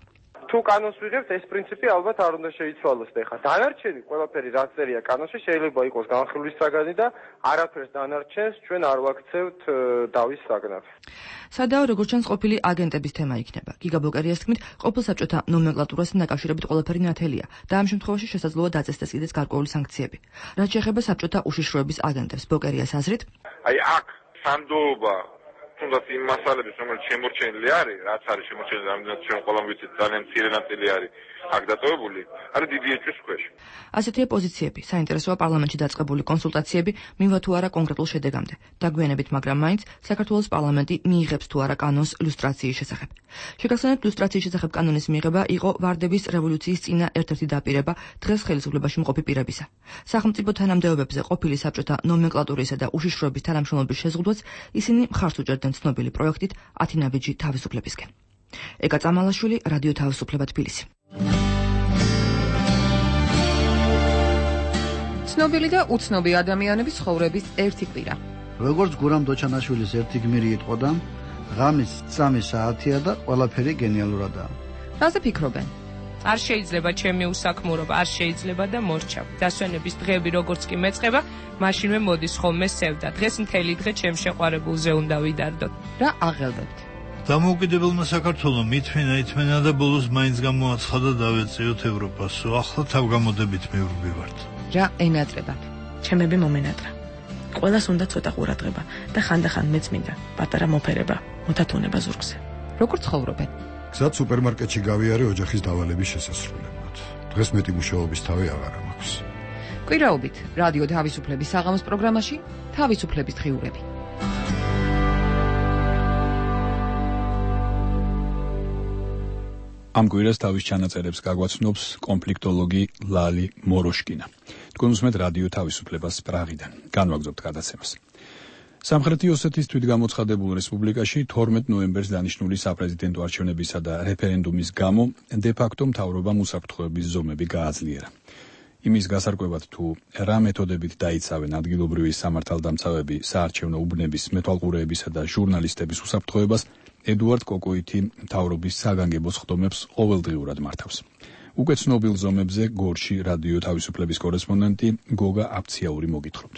[SPEAKER 17] თუ კანონს ვიღებთ, ეს პრინციპი ალბათ არ უნდა შეიცვალოს და ხა. დანარჩენი ყველაფერი რაც წერია კანონში შეიძლება იყოს განხილვის საგანი და არაფერს დანარჩენს ჩვენ არ ვაქცევთ დავის საგნად.
[SPEAKER 16] სადაო როგორც ჩანს ყოფილი აგენტების თემა იქნება. გიგა ბოკერიას თქმით, ყოფილ საბჭოთა ნომენკლატურასთან დაკავშირებით ყველაფერი ნათელია და ამ შემთხვევაში შესაძლოა დაწესდეს კიდეც გარკვეული სანქციები. რაც შეეხება საბჭოთა უშიშროების აგენტებს, ბოკერიას აზრით,
[SPEAKER 5] აი აქ სანდოობა თუნდაც იმ მასალების, რომელიც შემორჩენილი არის, რაც არის შემორჩენილი, რამდენად ჩვენ ყველამ ვიცით, ძალიან მცირე ნაწილი არის. აქ დატოვებული არის დიდი ეჭვის ქვეშ.
[SPEAKER 16] ასეთია პოზიციები, საინტერესოა პარლამენტში დაწყებული კონსულტაციები მივა თუ არა კონკრეტულ შედეგამდე. დაგვიანებით, მაგრამ მაინც საქართველოს პარლამენტი მიიღებს თუ არა კანონს ლუსტრაციის შესახებ. შეგახსენებთ, ლუსტრაციის შესახებ კანონის მიღება იყო ვარდების რევოლუციის წინა ერთ-ერთი დაპირება დღეს ხელისუფლებაში მყოფი პირებისა. სახელმწიფო თანამდებობებზე ყოფილი საბჭოთა ნომენკლატურისა და უშიშროების თანამშრომლობის შეზღუდვაც ისინი მხარს უჭერდნენ ცნობილი პროექტით ათი ნაბიჯი თავისუფლებისკენ. ეკა წამალაშვილი, რადიო თავისუფლება თბილისი.
[SPEAKER 18] ცნობილი და უცნობი ადამიანების ცხოვრების ერთი კვირა.
[SPEAKER 19] როგორც გურამ დოჩანაშვილის ერთი გმირი იტყოდა, ღამის სამი საათია და ყველაფერი გენიალურადაა.
[SPEAKER 18] რაზე ფიქრობენ?
[SPEAKER 20] არ შეიძლება ჩემი უსაქმურობა, არ შეიძლება და მორჩა. დასვენების დღეები როგორც კი მეწყება, მაშინვე მოდის ხოლმე სევდა. დღეს მთელი დღე ჩემ შეყვარებულზე უნდა ვიდარდოთ.
[SPEAKER 18] რა აღელვებთ?
[SPEAKER 21] დამოუკიდებელმა საქართველომ მithmeნა ithmeნა და ბოლოს მაინც გამოაცხადა დავეწიოთ ევროპას. ახლა თავგამოდებით მივრბივართ.
[SPEAKER 18] რა ენატრებათ?
[SPEAKER 13] ჩემები მომენატრა. ყველას უნდა ცოტა ყურადღება და ხანდახან მეც მინდა პატარა მოფერება, მოთათუნება ზურგზე.
[SPEAKER 18] როგორ ცხოვრობენ?
[SPEAKER 22] გზად სუპერმარკეტში გავიარე ოჯახის დავალების შესასრულებლად. დღეს მეტი მუშაობის თავი აღარ მაქვს.
[SPEAKER 18] კვირაობით რადიო თავისუფლების საღამოს პროგრამაში თავისუფლების დღიურები.
[SPEAKER 1] ამ კვირას თავის ჩანაწერებს გაგვაცნობს კონფლიქტოლოგი ლალი მოროშკინა. თქვენ უსმენთ რადიო თავისუფლებას პრაღიდან. განვაგრძობთ გადაცემას. სამხრეთი ოსეთის თვითგამოცხადებულ რესპუბლიკაში თორმეტ ნოემბერს დანიშნული საპრეზიდენტო არჩევნებისა და რეფერენდუმის გამო დე-ფაქტო მთავრობამ უსაფრთხოების ზომები გააძლიერა. იმის გასარკვევად თუ რა მეთოდებით დაიცავენ ადგილობრივი სამართალდამცავები საარჩევნო უბნების მეთვალყურეებისა და ჟურნალისტების უსაფრთხოებას, ედუარდ კოკოიტი მთავრობის საგანგებო სხდომებს ყოველდღიურად მართავს. უკვე ცნობილ ზომებზე გორში რადიო თავისუფლების კორესპონდენტი გოგა აფციაური მოგითხრობთ.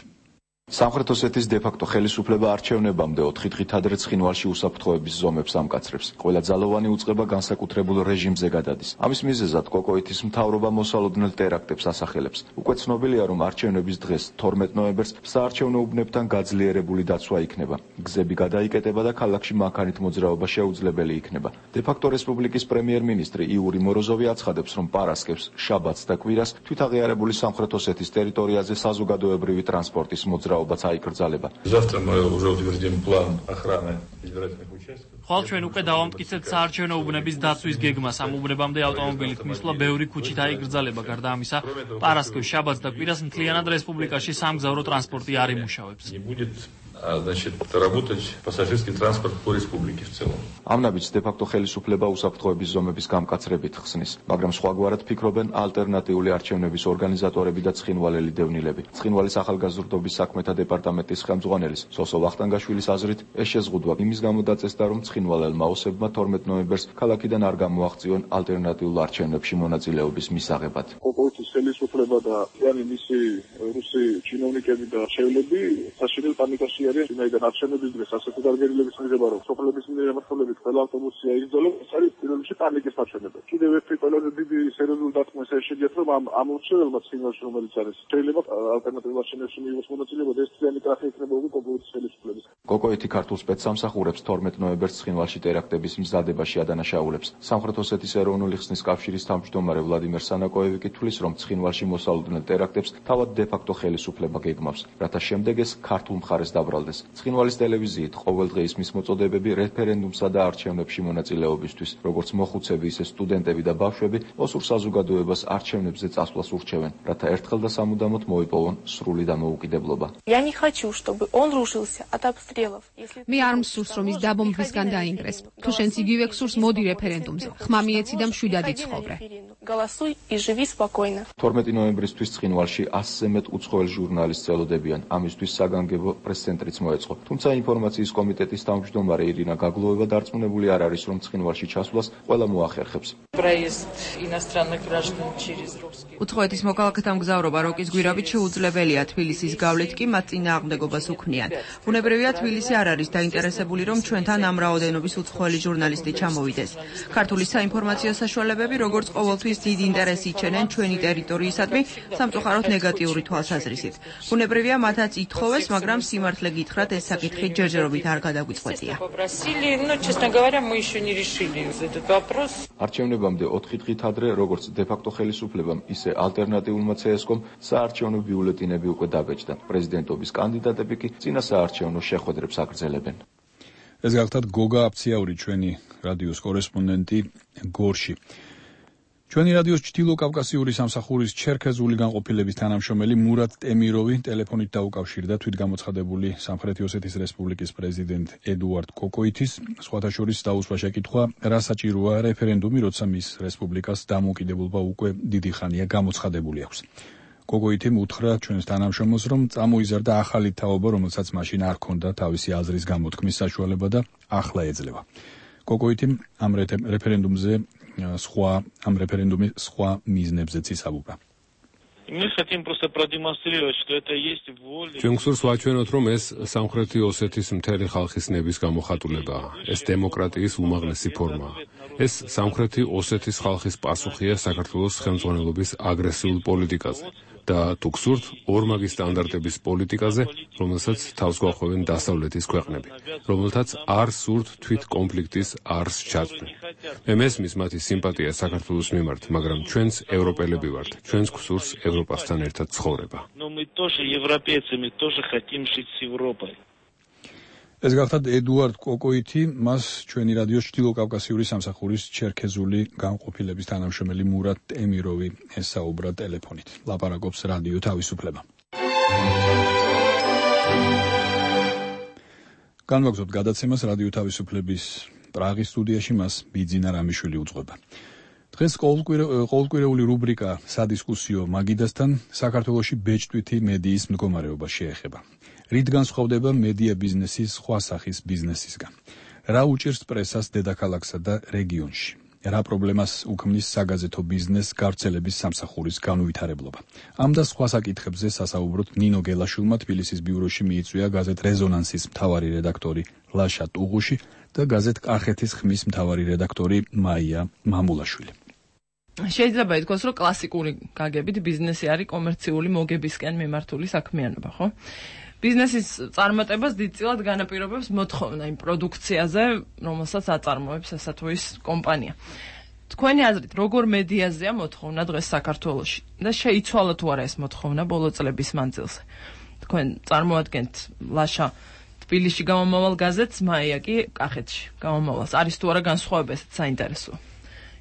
[SPEAKER 23] სამხრეთ ოსეთის დე-ფაქტო ხელისუფლება არჩევნებამდე ოთხი დღით ადრე ცხინვალში უსაფრთხოების ზომებს ამკაცრებს. ყველა ძალოვანი უწყება განსაკუთრებულ რეჟიმზე გადადის. ამის მიზეზად კოკოიტის მთავრობა მოსალოდნელ ტერაქტებს ასახელებს. უკვე ცნობილია, რომ არჩევნების დღეს თორმეტ ნოემბერს საარჩევნო უბნებთან გაძლიერებული დაცვა იქნება. გზები გადაიკეტება და ქალაქში მანქანით მოძრაობა შეუძლებელი იქნება. დე-ფაქტო რესპუბლიკის პრემიერ-მინისტრი იური მოროზოვი აცხადებს, რომ პარასკევს, შაბათს და კვირას თვითაღიარებული სამხრეთ ოსეთის ტერიტორიაზე საზოგადოებრივი ტრანსპორტის მოძრაობა
[SPEAKER 24] Завтра мы уже утвердим план охраны избирательных участков.
[SPEAKER 8] ხვალ ჩვენ უკვე დავამტკიცებთ საარჩევნო უბნების დაცვის გეგმას. ამ უბნებამდე ავტომობილით მისვლა ბევრი ქუჩით აიგრძალება. გარდა ამისა, პარასკევს, შაბათს და კვირას მთლიანად რესპუბლიკაში სამგზავრო ტრანსპორტი არ იმუშავებს.
[SPEAKER 24] Значит, работать пассажирский транспорт по республике в целом.
[SPEAKER 23] ამ ნაბიჯს დე-ფაქტო ხელისუფლება უსაფრთხოების ზომების გამკაცრებით ხსნის, მაგრამ სხვაგვარად ფიქრობენ ალტერნატიული არჩევნების ორგანიზატორები და ცხინვალელი დევნილები. ცხინვალის ახალგაზრდობის საქმეთა დეპარტამენტის ხელმძღვანელის სოსო ვახტანგაშვილის აზრით, ეს შეზღუდვა იმის გამო დაწესდა, რომ ცხინვალელმა ოსებმა თორმეტ ნოემბერს ქალაქიდან არ გამოაღწიონ ალტერნატიულ არჩევნებში მონაწილეობის მისაღებად.
[SPEAKER 25] კოკოიტის ხელისუფლება დაიანი მისი რუსი ჩინოვნიკები და არჩევნები საშინელ პანიკაში ვინაიდან არჩევნების დღეს ასეთი დარგერილების მიღება, რომ სოფლების მიერ ემართულებით ყველა ავტობუსი აიგრძელებს, ეს არის პირველ რიგში პანიკის არჩევნება. კიდევ ერთი ყველაზე დიდი სერიოზული დათმო ეს შეძიათ, რომ ამ ამ ურჩეველმა ცხინვალში, რომელიც არის, შეიძლება ალტერნატიულ არჩევნებში მიიღოს მონაწილეობა და ეს ძლიერი კრახი იქნება უკვე კოკოიტის ხელისუფლების.
[SPEAKER 23] კოკოიტი ქართულ სპეცსამსახურებს თორმეტ ნოემბერს ცხინვალში ტერაქტების მზადებაში ადანაშაულებს. სამხრეთ ოსეთის ეროვნული ხსნის კავშირის თავმჯდომარე ვლადიმერ სანაკოევი კი თვლის, რომ ცხინვალში მოსალოდნელ ტერაქტებს თავად დე-ფაქტო ხელისუფლება გეგმავს, რათა შემდეგ ეს ქართულ მხარეს დაბრალდეს. ცხინვალის ტელევიზიით ყოველდღე ისმის მოწოდებები რეფერენდუმსა და არჩევნებში მონაწილეობისთვის, როგორც მოხუცები, ისე სტუდენტები და ბავშვები ოსურ საზოგადოებას არჩევნებზე წასვლას ურჩევენ, რათა ერთხელ და სამუდამოდ მოიპოვონ სრული დამოუკიდებლობა.
[SPEAKER 15] Я не хочу, чтобы он рушился от обстрелов.
[SPEAKER 6] მე არ მსურს, რომ ის დაბომბვისგან დაინგრეს. თუ შენც იგივე გსურს, მოდი რეფერენდუმზე. ხმა მიეცი და მშვიდად იცხოვრე.
[SPEAKER 15] Голосуй и живи спокойно.
[SPEAKER 23] თორმეტი ნოემბრისთვის ცხინვალში ასზე მეტ უცხოელ ჟურნალისტს ელოდებიან. ამისთვის საგანგებო პრეს-ცენტრიც მოეწყო. თუმცა ინფორმაციის კომიტეტის თავმჯდომარე ირინა გაგლოვება დარწმუნებული არ არის, რომ ცხინვალში ჩასვლას ყველა მოახერხებს.
[SPEAKER 12] Проезд иностранных граждан через русский.
[SPEAKER 16] უცხოეთის მოკალქეთა მგზავრობა როკის გვირაბით შეუძლებელია. თბილისის გავლით კი მათ წინააღმდეგობას უქმნიან. ბუნებრივია, თბილისი არ არის დაინტერესებული, რომ ჩვენთან ამ რაოდენობის უცხოელი ჟურნალისტი ჩამოვიდეს. ქართული საინფორმაციო საშუალებები როგორც ყოველთვის დიდ ინტერესს იჩენენ ჩვენი ტერიტორიისადმი, სამწუხაროდ ნეგატიური თვალსაზრისით. ბუნებრივია, მათაც ითხოვეს, მაგრამ სიმართლე გითხრათ, ეს საკითხი ჯერჯერობით არ გადაგვიწყვეტია.
[SPEAKER 23] არჩევნებამდე ოთხი დღით ადრე, როგორც დე-ფაქტო ხელისუფლებამ, ისე ალტერნატიულმა ცე-ეს-კომ საარჩევნო ბიულეტინები უკვე დაბეჭდა. პრეზიდენტობის კანდიდატები კი წინა საარჩევნო შეხვედრებს აგრძელებენ.
[SPEAKER 1] ეს გახლავთ გოგა აფციაური, ჩვენი რადიოს კორესპონდენტი გორში. ჩვენი რადიოს ჩრდილოკავკასიური სამსახურის ჩერქეზული განყოფილების თანამშრომელი მურატ ტემიროვი ტელეფონით დაუკავშირდა თვითგამოცხადებული სამხრეთი ოსეთის რესპუბლიკის პრეზიდენტ ედუარდ კოკოითის, სხვათა შორის დაუსვა შეკითხვა, რა საჭიროა რეფერენდუმი, როცა მის რესპუბლიკას დამოუკიდებლობა უკვე დიდი ხანია გამოცხადებული აქვს. კოკოითიმ უთხრა ჩვენს თანამშრომელს, რომ წამოიზარდა ახალი თაობა, რომელსაც მაშინ არ ჰქონდა თავისი აზრის გამოთქმის საშუალება და ახლა ეძლევა. კოკოითიმ ამ რეფერენდუმზე სხვა ამ რეფერენდუმის სხვა მიზნებზეც ისაუბრა.
[SPEAKER 2] ჩვენ გსურს ვაჩვენოთ, რომ ეს სამხრეთი ოსეთის მთელი ხალხის ნების გამოხატულებაა. ეს დემოკრატიის უმაღლესი ფორმაა. ეს სამხრეთი ოსეთის ხალხის პასუხია საქართველოს ხელმძღვანელობის აგრესიულ პოლიტიკაზე და თუ გსურთ, ორმაგი სტანდარტების პოლიტიკაზე, რომელსაც თავს გვახვევენ დასავლეთის ქვეყნები, რომელთაც არ სურთ თვით კონფლიქტის არს ჩაწვდნი. მე მესმის მათი სიმპათია საქართველოს მიმართ, მაგრამ ჩვენც ევროპელები ვართ. ჩვენს გსურს ევროპასთან ერთად ცხოვრება.
[SPEAKER 1] ეს გახლავთ ედუარდ კოკოითი, მას ჩვენი რადიოს ჩრდილოკავკასიური სამსახურის ჩერქეზული განყოფილების თანამშრომელი მურატ ტემიროვი ესაუბრა ტელეფონით. ლაპარაკობს რადიო თავისუფლება. განვაგრძობთ გადაცემას რადიო თავისუფლების პრაღის სტუდიაში, მას ბიძინა რამიშვილი უძღვება. დღეს ყოველკვირეული რუბრიკა სადისკუსიო მაგიდასთან საქართველოში ბეჭდვითი მედიის მდგომარეობა შეეხება. რით განსხვავდება მედია ბიზნესი სხვა სახის ბიზნესისგან? რა უჭირს პრესას დედაქალაქსა და რეგიონში? რა პრობლემას უქმნის საგაზეთო ბიზნეს გავრცელების სამსახურის განუვითარებლობა? ამ და სხვა საკითხებზე სასაუბროთ ნინო გელაშვილმა თბილისის ბიუროში მიიწვია გაზეთ რეზონანსის მთავარი რედაქტორი ლაშა ტუღუში და გაზეთ კახეთის ხმის მთავარი რედაქტორი მაია მამულაშვილი.
[SPEAKER 16] შეიძლება ითქვას, რომ კლასიკური გაგებით ბიზნესი არის კომერციული მოგებისკენ მიმართული საქმიანობა, ხო? ბიზნესის წარმატებას დიდწილად განაპირობებს მოთხოვნა იმ პროდუქციაზე, რომელსაც აწარმოებს ესა თუ ის კომპანია. თქვენი აზრით, როგორ მედიაზეა მოთხოვნა დღეს საქართველოში და შეიცვალა თუ არა ეს მოთხოვნა ბოლო წლების მანძილზე? თქვენ წარმოადგენთ ლაშა თბილისში გამომავალ გაზეთს, მაია კი კახეთში გამომავალს. არის თუ არა განსხვავება, ესეც საინტერესოა.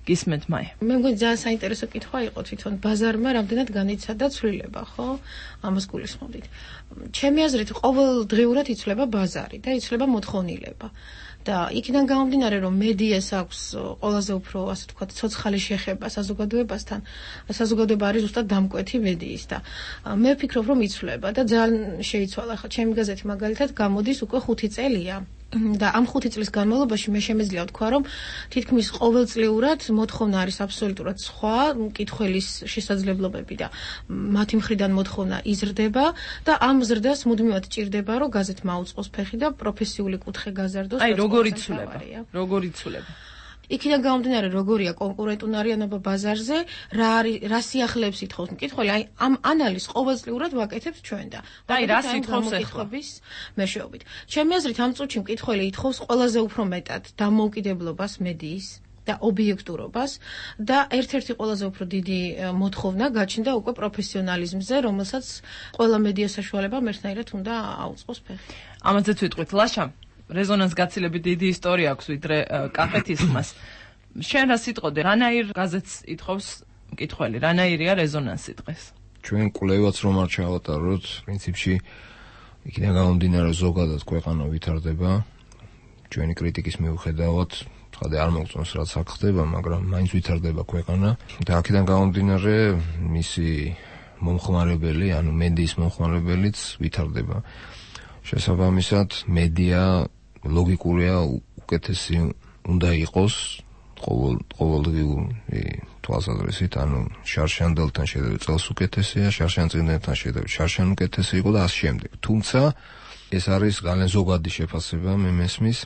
[SPEAKER 16] გისმენთ მაია.
[SPEAKER 6] მე მგონი ძალიან საინტერესო კითხვა იყო თვითონ ბაზარმა რამდენად განიცადა ცვლილება, ხო? ამას გულისხმობდით. ჩემი აზრით, ყოველდღიურად იცვლება ბაზარი და იცვლება მოთხოვნილება. და იქიდან გამომდინარე, რომ მედიას აქვს ყველაზე უფრო, ასე ვთქვათ, ცოცხალი შეხება საზოგადოებასთან, საზოგადოება არის ზუსტად დამკვეთი მედიის და მე ვფიქრობ, რომ იცვლება და ძალიან შეიცვალა. ხა ჩემი გაზეთი მაგალითად გამოდის უკვე ხუთი წელია. და ამ ხუთი წლის განმავლობაში მე შემეძლია ვთქვა, რომ თითქმის ყოველწლიურად მოთხოვნა არის აბსოლუტურად სხვა, მკითხველის შესაძლებლობები და მათი მხრიდან მოთხოვნა იზრდება და ამ ზრდას მუდმივად ჭირდება, რომ გაზეთმა აუწყოს ფეხი და პროფესიული კუთხე გაზარდოს.
[SPEAKER 16] აი, როგორ იცვლება? როგორ იცვლება?
[SPEAKER 6] იქიდან გამომდინარე, როგორია კონკურენტუნარიანობა ბაზარზე, რა არის, რა სიახლეებს ითხოვს მკითხველი, აი ამ ანალიზს ყოველწლიურად ვაკეთებთ ჩვენ და
[SPEAKER 16] აი რას ითხოვს ახლა
[SPEAKER 6] მეშვეობით. ჩემი აზრით, ამ წუთში მკითხველი ითხოვს ყველაზე უფრო მეტად დამოუკიდებლობას მედიის და ობიექტურობას და ერთ-ერთი ყველაზე უფრო დიდი მოთხოვნა გაჩნდა უკვე პროფესიონალიზმზე, რომელსაც ყველა მედია საშუალებამ ერთნაირად უნდა აუწყოს ფეხი.
[SPEAKER 16] ამაზე ვიტყვით, ლაშა რეზონანს გაცილებით დიდი ისტორია აქვს ვიდრე კახეთის ხმას. შენ რა სიტყოდე, რანაირ გაზეთს ითხოვს მკითხველი, რანაირია რეზონანსი დღეს?
[SPEAKER 3] ჩვენ კვლევაც რომ არ ჩავატაროთ, პრინციპში იქიდან გამომდინარე ზოგადად ქვეყანა ვითარდება. ჩვენი კრიტიკის მიუხედავად, ცხადე არ მოგწონს რაც აქ ხდება, მაგრამ მაინც ვითარდება ქვეყანა და აქედან გამომდინარე მისი მომხმარებელი, ანუ მედიის მომხმარებელიც ვითარდება. შესაბამისად, მედია ლოგიკურია უკეთესი უნდა იყოს ყოველ ყოველდღიური თვალსაზრისით, ანუ შარშანდელთან შედარებით წელს უკეთესია, შარშანწინებთან შედარებით შარშან უკეთესი იყო და ასე შემდეგ. თუმცა ეს არის ძალიან ზოგადი შეფასება, მე მესმის.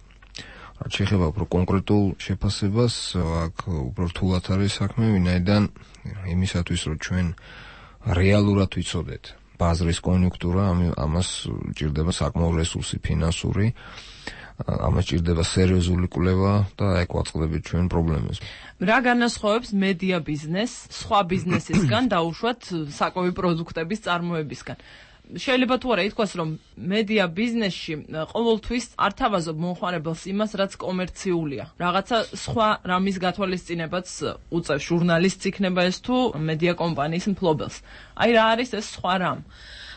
[SPEAKER 3] რაც შეეხება უფრო კონკრეტულ შეფასებას, აქ უფრო რთულად არის საქმე, ვინაიდან იმისათვის რომ ჩვენ რეალურად ვიცოდეთ ბაზრის კონიუნქტურა, ამას ჭირდება საკმაო რესურსი ფინანსური, ამას ჭირდება სერიოზული კვლევა და ეგ ვაწყდებით ჩვენ პრობლემებს.
[SPEAKER 4] რა განასხვავებს მედია ბიზნესს სხვა ბიზნესისგან დაუშვათ საკვები პროდუქტების წარმოებისგან? შეიძლება თუ არა ითქვას, რომ მედია ბიზნესში ყოველთვის არ თავაზობ მომხმარებელს იმას, რაც კომერციულია. რაღაცა სხვა რამის გათვალისწინებაც უწევს ჟურნალისტს იქნება ეს თუ მედია კომპანიის მფლობელს. აი რა არის ეს სხვა რამ?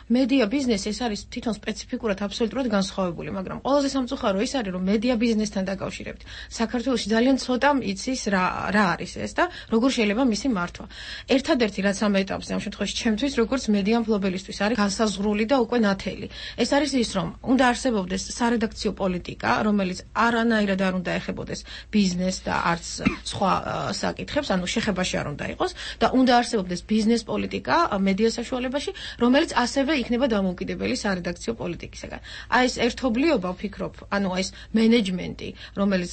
[SPEAKER 6] მედია ბიზნესი ეს არის თვითონ სპეციფიკურად აბსოლუტურად განსხვავებული, მაგრამ ყველაზე სამწუხარო ის არის, რომ მედია ბიზნესთან დაკავშირებით საქართველოში ძალიან ცოტა იცის რა რა არის ეს და როგორ შეიძლება მისი მართვა. ერთადერთი რაც ამ ეტაპზე ამ შემთხვევაში ჩემთვის როგორც მედია მფლობელისთვის არის განსაზღვრული და უკვე ნათელი. ეს არის ის, რომ უნდა არსებობდეს სარედაქციო პოლიტიკა, რომელიც არანაირად არ უნდა ეხებოდეს ბიზნესს და არც სხვა საკითხებს, ანუ შეხებაში არ უნდა იყოს და უნდა არსებობდეს ბიზნეს პოლიტიკა მედია საშუალებაში, რომელიც ასევე იქნება დამოუკიდებელი სარედაქციო პოლიტიკისგან. აი ეს ერთობლიობა ვფიქრობ, ანუ ეს მენეჯმენტი, რომელიც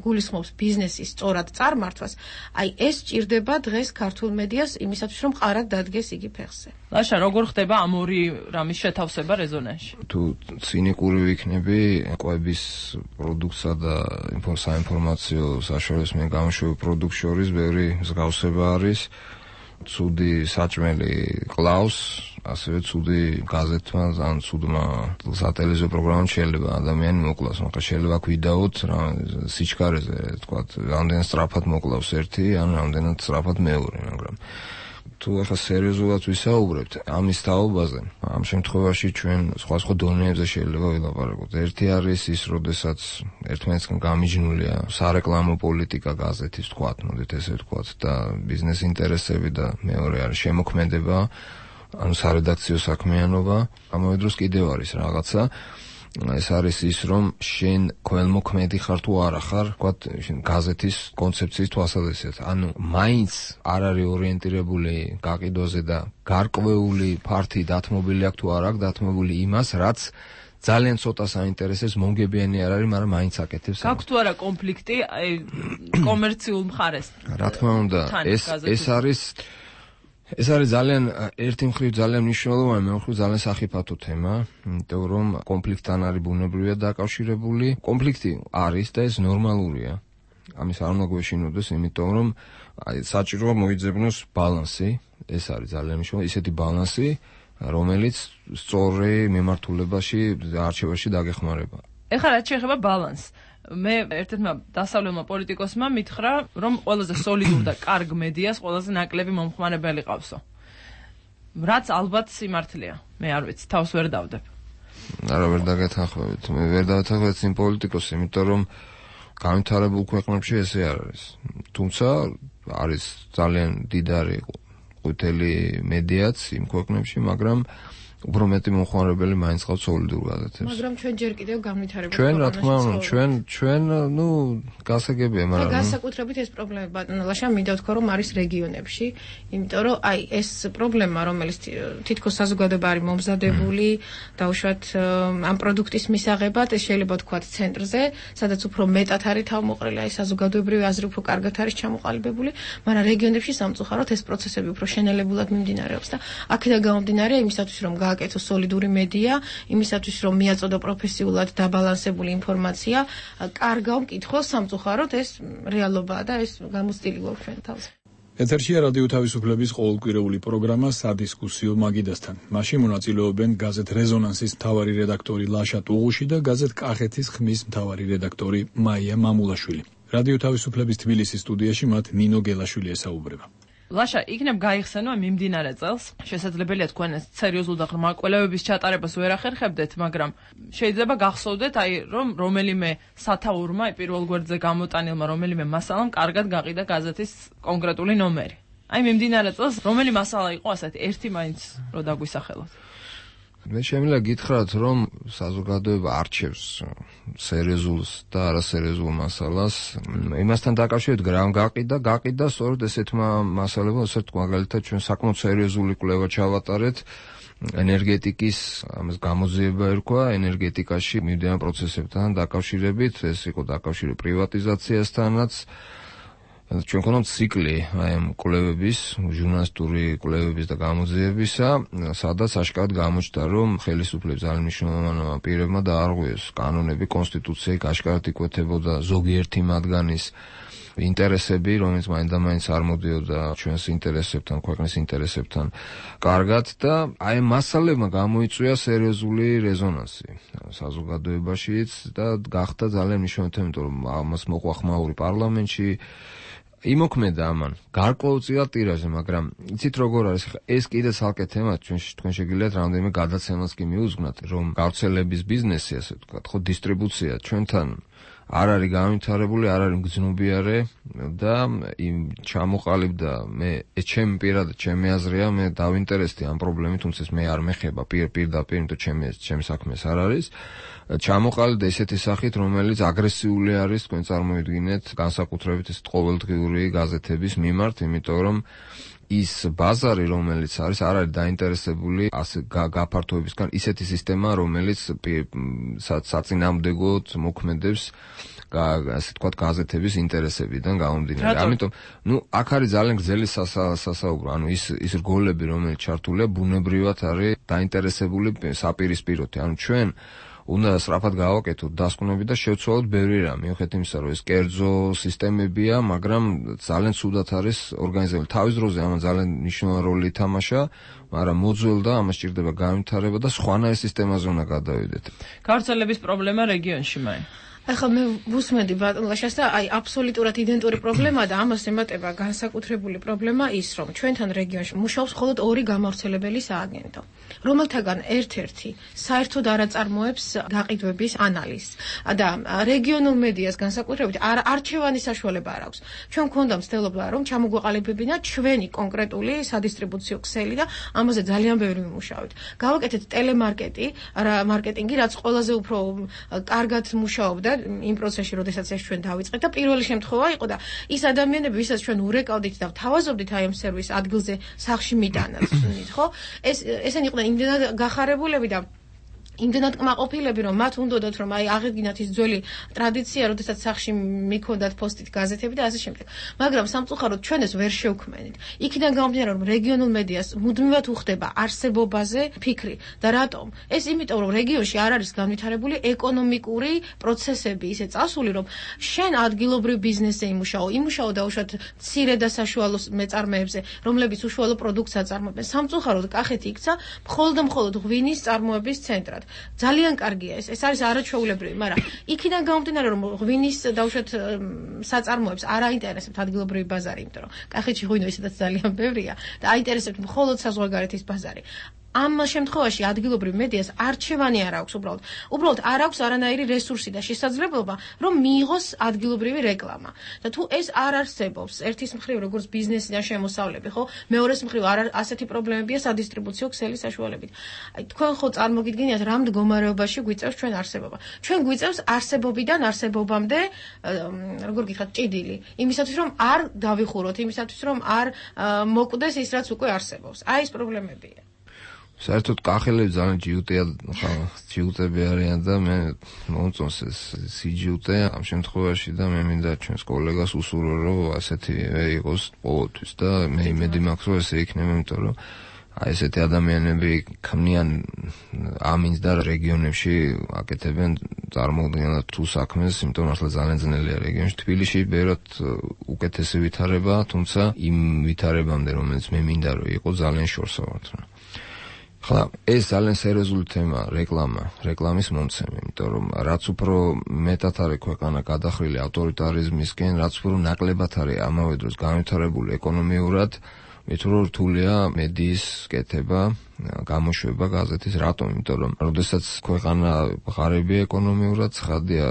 [SPEAKER 6] გულისხმობს ბიზნესის სწორად წარმართვას, აი ეს ჭირდება დღეს ქართულ მედიას იმისათვის, რომ ყარად დადგეს იგი ფეხზე.
[SPEAKER 4] ლაშა, როგორ ხდება ამ ორი რამის შეთავსება რეზონანსში?
[SPEAKER 3] თუ ცინიკური ვიქნები, კვების პროდუქტსა და საინფორმაციო საშუალებას მე გამოშვებულ პროდუქტ შორის ბევრი მსგავსება არის. ცუდი საჭმელი ყლავს, ასევე ცუდი გაზეთმა ან ცუდმა სატელევიზიო პროგრამამ შეიძლება ადამიანი მოკლავს, მაგრამ შეიძლება გვიდაოთ რა სიჩქარეზე, თქვათ, რამდენად სწრაფად მოკლავს ერთი, ან რამდენად სწრაფად მეორე, მაგრამ თუ ახლა სერიოზულად ვისაუბრებთ ამის თაობაზე, ამ შემთხვევაში ჩვენ სხვადასხვა დონეებზე შეიძლება ვილაპარაკოთ. ერთი არის ის, როდესაც ერთმანეთსგან გამიჯნულია სარეკლამო პოლიტიკა გაზეთის, თქვათ, მოდით ესე ვთქვათ, და ბიზნეს ინტერესები და მეორე არის შემოქმედება, ანუ სარედაქციო საქმიანობა. ამავე დროს კიდევ არის რაღაცა, ეს არის ის, რომ შენ ქველმოქმედი ხარ თუ არა ხარ, თქვათ, გაზეთის კონცეფციის თვალსაზრისით. ანუ მაინც არ არის ორიენტირებული გაყიდვაზე და გარკვეული ფართი დათმობილი აქვს თუ არ აქვს დათმობილი იმას, რაც ძალიან ცოტა საინტერესებს, მომგებიანი არ არის, მაგრამ მაინც აკეთებს.
[SPEAKER 4] გაქვს თუ არა კონფლიქტი კომერციულ მხარეს?
[SPEAKER 3] რა თქმა უნდა, ეს ეს არის ეს არის ძალიან ერთი მხრივ ძალიან მნიშვნელოვანი, მეორე მხრივ ძალიან სახიფათო თემა, იმიტომ რომ კონფლიქტთან არის ბუნებრივად დაკავშირებული. კონფლიქტი არის და ეს ნორმალურია. ამის არ უნდა გვეშინოდეს, იმიტომ რომ საჭიროა მოიძებნოს ბალანსი, ეს არის ძალიან მნიშვნელოვანი, ისეთი ბალანსი, რომელიც სწორი მიმართულებაში არჩევაში დაგეხმარება.
[SPEAKER 4] ეხლა რაც შეეხება ბალანსს, მე ერთ-ერთმა დასავლელმა პოლიტიკოსმა მითხრა, რომ ყველაზე სოლიდურ და კარგ მედიას ყველაზე ნაკლები მომხმარებელი ყავსო. რაც ალბათ სიმართლეა. მე არ ვიცი, თავს ვერ დავდებ.
[SPEAKER 3] არა, ვერ დაგეთანხმებით. მე ვერ დავეთანხმებით იმ პოლიტიკოსს, იმიტომ რომ განვითარებულ ქვეყნებში ესე არ არის. თუმცა არის ძალიან დიდარი ყვითელი მედიაც იმ ქვეყნებში, მაგრამ უფრო მეტი მომხმარებელი მაინც ყავს სოლიდურ გაზეთებს.
[SPEAKER 6] მაგრამ ჩვენ ჯერ კიდევ განვითარებულ
[SPEAKER 3] ჩვენ რა თქმა უნდა, ჩვენ ჩვენ ნუ გასაგებია, მაგრამ
[SPEAKER 6] და განსაკუთრებით ეს პრობლემა ბატონო ლაშა მინდა ვთქვა, რომ არის რეგიონებში, იმიტომ რომ აი ეს პრობლემა, რომელიც თითქოს საზოგადოება არის მომზადებული, დაუშვათ ამ პროდუქტის მისაღებად, ეს შეიძლება ვთქვათ ცენტრზე, სადაც უფრო მეტად არის თავმოყრილი, აი საზოგადოებრივი აზრი უფრო კარგად არის ჩამოყალიბებული, მაგრამ რეგიონებში სამწუხაროდ ეს პროცესები უფრო შენელებულად მიმდინარეობს და აქედან გამომდინარე იმისათვის რომ გააკეთო სოლიდური მედია, იმისათვის რომ მიაწოდო პროფესიულად დაბალანსებული ინფორმაცია, კარგავ მკითხველს სამწუხაროდ ეს რეალობაა და ეს გამოცდილი გვაქვს ჩვენ თავზე.
[SPEAKER 1] ეთერშია რადიო თავისუფლების ყოველკვირეული პროგრამა სადისკუსიო მაგიდასთან. მასში მონაწილეობენ გაზეთ რეზონანსის მთავარი რედაქტორი ლაშა ტუღუში და გაზეთ კახეთის ხმის მთავარი რედაქტორი მაია მამულაშვილი. რადიო თავისუფლების თბილისის სტუდიაში მათ ნინო გელაშვილი ესაუბრება.
[SPEAKER 4] ლაშა, იქნებ გაიხსენო მიმდინარე წელს. შესაძლებელია თქვენ ეს სერიოზულ და ღრმა კვლევების ჩატარებას ვერ ახერხებდეთ, მაგრამ შეიძლება გახსოვდეთ, აი რომ რომელიმე სათაურმა პირველ გვერდზე გამოტანილმა რომელიმე მასალამ კარგად გაყიდა გაზეთის კონკრეტული ნომერი. აი მიმდინარე წელს რომელი მასალა იყო ასეთი ერთი მაინც რო დაგვისახელოთ?
[SPEAKER 3] მე შემიძლია გითხრათ, რომ საზოგადოება არჩევს სერიოზულს და არასერიოზულ მასალას. იმასთან დაკავშირებით რამ გაყიდა, გაყიდა სწორედ ესეთმა მასალებმა, ასე ვთქვათ, მაგალითად ჩვენ საკმაოდ სერიოზული კვლევა ჩავატარეთ ენერგეტიკის, ამას გამოძიება ერქვა, ენერგეტიკაში მიმდინარე პროცესებთან დაკავშირებით, ეს იყო დაკავშირებული პრივატიზაციასთანაც, ჩვენ ქონდა ციკლი აი ამ კვლევების, ჟურნალისტური კვლევების და გამოძიებისა, სადაც აშკარად გამოჩნდა, რომ ხელისუფლების ძალიან მნიშვნელოვანმა პირებმა დაარღვიეს კანონები, კონსტიტუცია, აშკარად იკვეთებოდა ზოგიერთი მათგანის ინტერესები, რომელიც მაინდა-მაინც არ მოდიოდა ჩვენს ინტერესებთან, ქვეყნის ინტერესებთან კარგად და აი მასალებმა გამოიწვია სერიოზული რეზონანსი საზოგადოებაშიც და გახდა ძალიან მნიშვნელოვანი, იმიტომ რომ ამას მოყვა ხმაური პარლამენტში იმოქმედა ამან გარკვეულწილად ტირაჟზე, მაგრამ იცით როგორ არის, ეს კიდე ცალკე თემა, ჩვენ თქვენ შეგიძლიათ რამდენიმე გადაცემას კი მიუძღვნათ, რომ გავრცელების ბიზნესი, ასე ვთქვათ, ხო, დისტრიბუცია ჩვენთან არ არის განვითარებული, არ არის მგრძნობიარე და იმ ჩამოყალიბდა მე ეს ჩემი პირადად ჩემი აზრია, მე დავინტერესდი ამ პრობლემით, თუმცა მე არ მეხება პირ-პირდაპირ, იმიტომ ჩემი ჩემი საქმე ეს არ არის. ჩამოყალიბდა ესეთი სახით, რომელიც აგრესიული არის, თქვენ წარმოიდგინეთ, განსაკუთრებით ეს ყოველდღიური გაზეთების მიმართ, იმიტომ რომ ის ბაზარი, რომელიც არის, არ არის დაინტერესებული ასე გაფართოებისგან, ისეთი სისტემა, რომელიც საწინააღმდეგოდ მოქმედებს ასე თქვათ გაზეთების ინტერესებიდან გამომდინარე. ამიტომ, ნუ აქ არის ძალიან გრძელი სასაუბრო, ანუ ის ის რგოლები, რომელიც ჩართულია, ბუნებრივად არის დაინტერესებული საპირისპიროთი. ანუ ჩვენ უნდა სწრაფად გავაკეთოთ დასკვნები და შევცვალოთ ბევრი რამ, მიუხედავად იმისა, რომ ეს კერძო სისტემებია, მაგრამ ძალიან ცუდად არის ორგანიზებული. თავის დროზე ამან ძალიან მნიშვნელოვანი როლი ითამაშა, მაგრამ მოძველდა, ამას სჭირდება განვითარება და სხვანაირ სისტემაზე უნდა გადავიდეთ.
[SPEAKER 4] გავრცელების პრობლემა რეგიონში მაინც.
[SPEAKER 6] ახლა მე ვუსმენდი ბატონ ლაშას და აი აბსოლუტურად იდენტური პრობლემაა და ამას ემატება განსაკუთრებული პრობლემა ის, რომ ჩვენთან რეგიონში მუშაობს მხოლოდ ორი გამავრცელებელი სააგენტო, რომელთაგან ერთ-ერთი საერთოდ არ აწარმოებს გაყიდვების ანალიზს და რეგიონულ მედიას განსაკუთრებით არჩევანის საშუალება არ აქვს. ჩვენ გვქონდა მცდელობა, რომ ჩამოგვეყალიბებინა ჩვენი კონკრეტული სადისტრიბუციო ქსელი და ამაზე ძალიან ბევრი ვიმუშავეთ. გავაკეთეთ ტელემარკეტი, მარკეტინგი, რაც ყველაზე უფრო კარგად მუშაობდა იმ პროცესში, როდესაც ეს ჩვენ დავიწყეთ და პირველი შემთხვევა იყო და ის ადამიანები, ვისაც ჩვენ ურეკავდით და ვთავაზობდით აი ამ სერვის ადგილზე სახლში მიტანათ, ხო? ეს ესენი იყვნენ იმდენად გახარებულები და იმდენად კმაყოფილები, რომ მათ უნდოდათ, რომ აი აღედგინათ ის ძველი ტრადიცია, როდესაც სახლში მიქონდათ პოსტით გაზეთები და ასე შემდეგ. მაგრამ სამწუხაროდ ჩვენ ეს ვერ შევქმენით. იქიდან გამომდინარე, რომ რეგიონულ მედიას მუდმივად უხდება არსებობაზე ფიქრი და რატომ? ეს იმიტომ, რომ რეგიონში არ არის განვითარებული ეკონომიკური პროცესები ისე წასული, რომ შენ ადგილობრივ ბიზნესზე იმუშაო, იმუშაო დაუშვათ მცირე და საშუალო მეწარმეებზე, რომლებიც უშუალო პროდუქტს აწარმოებენ. სამწუხაროდ კახეთი იქცა მხოლოდ და მხოლოდ ღვინის წარმოების ცენტრად. ძალიან კარგია ეს, ეს არის არაჩვეულებრივი, მაგრამ იქიდან გამომდინარე, რომ ღვინის დაუშვათ საწარმოებს არ აინტერესებთ ადგილობრივი ბაზარი, იმიტომ რომ კახეთში ღვინო ისედაც ძალიან ბევრია და აინტერესებთ მხოლოდ საზღვარგარეთის ბაზარი. ამ შემთხვევაში ადგილობრივ მედიას არჩევანი არ აქვს უბრალოდ. უბრალოდ არ აქვს არანაირი რესურსი და შესაძლებლობა, რომ მიიღოს ადგილობრივი რეკლამა. და თუ ეს არ არსებობს, ერთის მხრივ როგორც ბიზნესიდან შემოსავლები, ხო? მეორეს მხრივ არ ასეთი პრობლემებია სადისტრიბუციო ქსელის საშუალებით. აი თქვენ ხო წარმოგიდგენიათ რა მდგომარეობაში გვიწევს ჩვენ არსებობა. ჩვენ გვიწევს არსებობიდან არსებობამდე, როგორ გითხრათ, ჭიდილი. იმისათვის რომ არ დავიხუროთ, იმისათვის რომ არ მოკვდეს ის რაც უკვე არსებობს. აი ეს პრობლემებია.
[SPEAKER 3] საერთოდ კახელები ძალიან ჯიუტია, ხა, ჯიუტები არიან და მე მომწონს ეს სიჯიუტე ამ შემთხვევაში და მე მინდა ჩვენს კოლეგას უსურვო, რომ ასეთი იყოს ყოველთვის და მე იმედი მაქვს, რომ ესე იქნება, იმიტომ რომ აი ესეთი ადამიანები ქმნიან ამინს და რეგიონებში აკეთებენ წარმოუდგენლად თუ საქმეს, იმიტომ რომ ახლა ძალიან ძნელია რეგიონში. თბილისში ბევრად უკეთესი ვითარება, თუმცა იმ ვითარებამდე, რომელიც მე მინდა რომ იყო, ძალიან შორსა ვართ. ხლა ეს ძალიან სერიოზული თემაა, რეკლამა, რეკლამის მომცემი, იმიტომ რომ რაც უფრო მეტად არის ქვეყანა გადახრილი ავტორიტარიზმისკენ, რაც უფრო ნაკლებად არის ამავე დროს განვითარებული ეკონომიურად, მით უფრო რთულია მედიის კეთება, გამოშვება გაზეთის. რატომ? იმიტომ რომ როდესაც ქვეყანა ღარიბია ეკონომიურად, ცხადია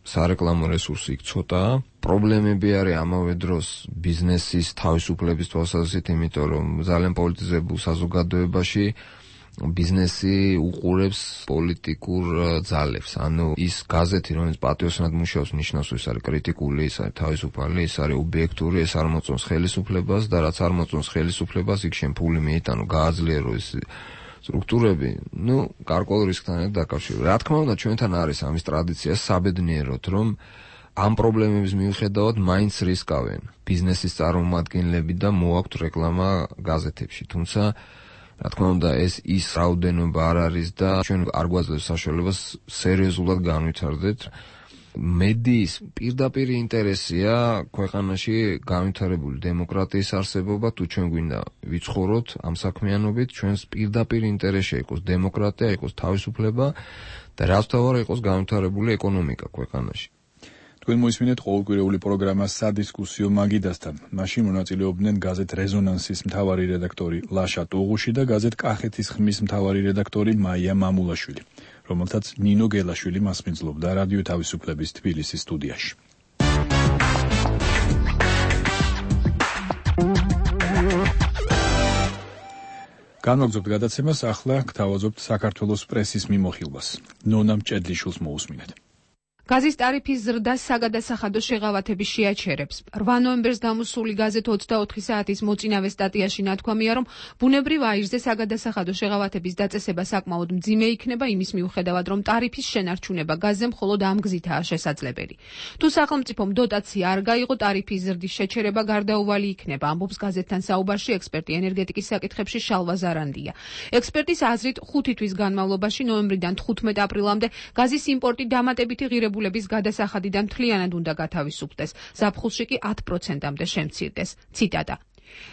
[SPEAKER 3] სარეკლამო რესურსი იქ ცოტაა. პრობლემები არის ამავე დროს ბიზნესის თავისუფლების თვალსაზრისით, იმიტომ რომ ძალიან პოლიტიზებულ საზოგადოებაში ბიზნესი უყურებს პოლიტიკურ ძალებს. ანუ ის გაზეთი, რომელიც პატიოსნად მუშაობს, ნიშნავს, ის არის კრიტიკული, ის არის თავისუფალი, ის არის ობიექტური, ეს არ მოწონს ხელისუფლებას და რაც არ მოწონს ხელისუფლებას, იქ შენ ფული მიიტანო, გააძლიერო ეს სტრუქტურები, ну, გარკვეულ რისკთან დაკავშირებით. რა თქმა უნდა, ჩვენთან არის ამის ტრადიცია საბედნიეროდ, რომ ამ პრობლემების მიუხედავად მაინც რისკავენ ბიზნესის წარმომადგენლები და მოაქვთ რეკლამა გაზეთებში, თუმცა რა თქმა უნდა ეს ის რაოდენობა არ არის და ჩვენ არ გვაძლევს საშუალებას სერიოზულად განვითარდეთ. მედიის პირდაპირ ინტერესია ქვეყანაში განვითარებული დემოკრატიის არსებობა, თუ ჩვენ გვინდა ვიცხოვროთ ამ საქმიანობით, ჩვენს პირდაპირ ინტერესში იყოს დემოკრატია, იყოს თავისუფლება და რაც თავარ იყოს განვითარებული ეკონომიკა ქვეყანაში.
[SPEAKER 1] თქვენ მოისმინეთ ყოველკვირეული პროგრამა სადისკუსიო მაგიდასთან. მაშინ მონაწილეობდნენ გაზეთ რეზონანსის მთავარი რედაქტორი ლაშა ტუღუში და გაზეთ კახეთის ხმის მთავარი რედაქტორი მაია მამულაშვილი, რომელთაც ნინო გელაშვილი მასპინძლობდა რადიო თავისუფლების თბილისის სტუდიაში. განვაგრძობთ გადაცემას, ახლა გთავაზობთ საქართველოს პრესის მიმოხილვას. ნონა მჭედლიშვილს მოусმინეთ.
[SPEAKER 7] გაზის ტარიფის ზრდას საგადასახადო შეღავათების შეაჩერებს. რვა ნოემბერს გამოსული გაზეთ ოცდაოთხი საათის მოწინავე სტატიაში ნათქვამია, რომ ბუნებრივ აირზე საგადასახადო შეღავათების დაწესება საკმაოდ მძიმე იქნება იმის მიუხედავად, რომ ტარიფის შენარჩუნება გაზზე მხოლოდ ამ გზითაა შესაძლებელი. თუ სახელმწიფომ დოტაცია არ გაიღო, ტარიფის ზრდის შეჩერება გარდაუვალი იქნება, ამბობს გაზეთთან საუბარში ექსპერტი ენერგეტიკის საკითხებში შალვა ზარანდია. ექსპერტის აზრით, ხუთი თვის განმავლობაში ნოემბრიდან თხუთმეტ აპრილამდე გაზის იმპორტი დამატებითი ღირებულების გადასახადიდან მთლიანად უნდა გათავისუფლდეს, ზაფხულში კი ათ პროცენტამდე შემცირდეს. ციტატა: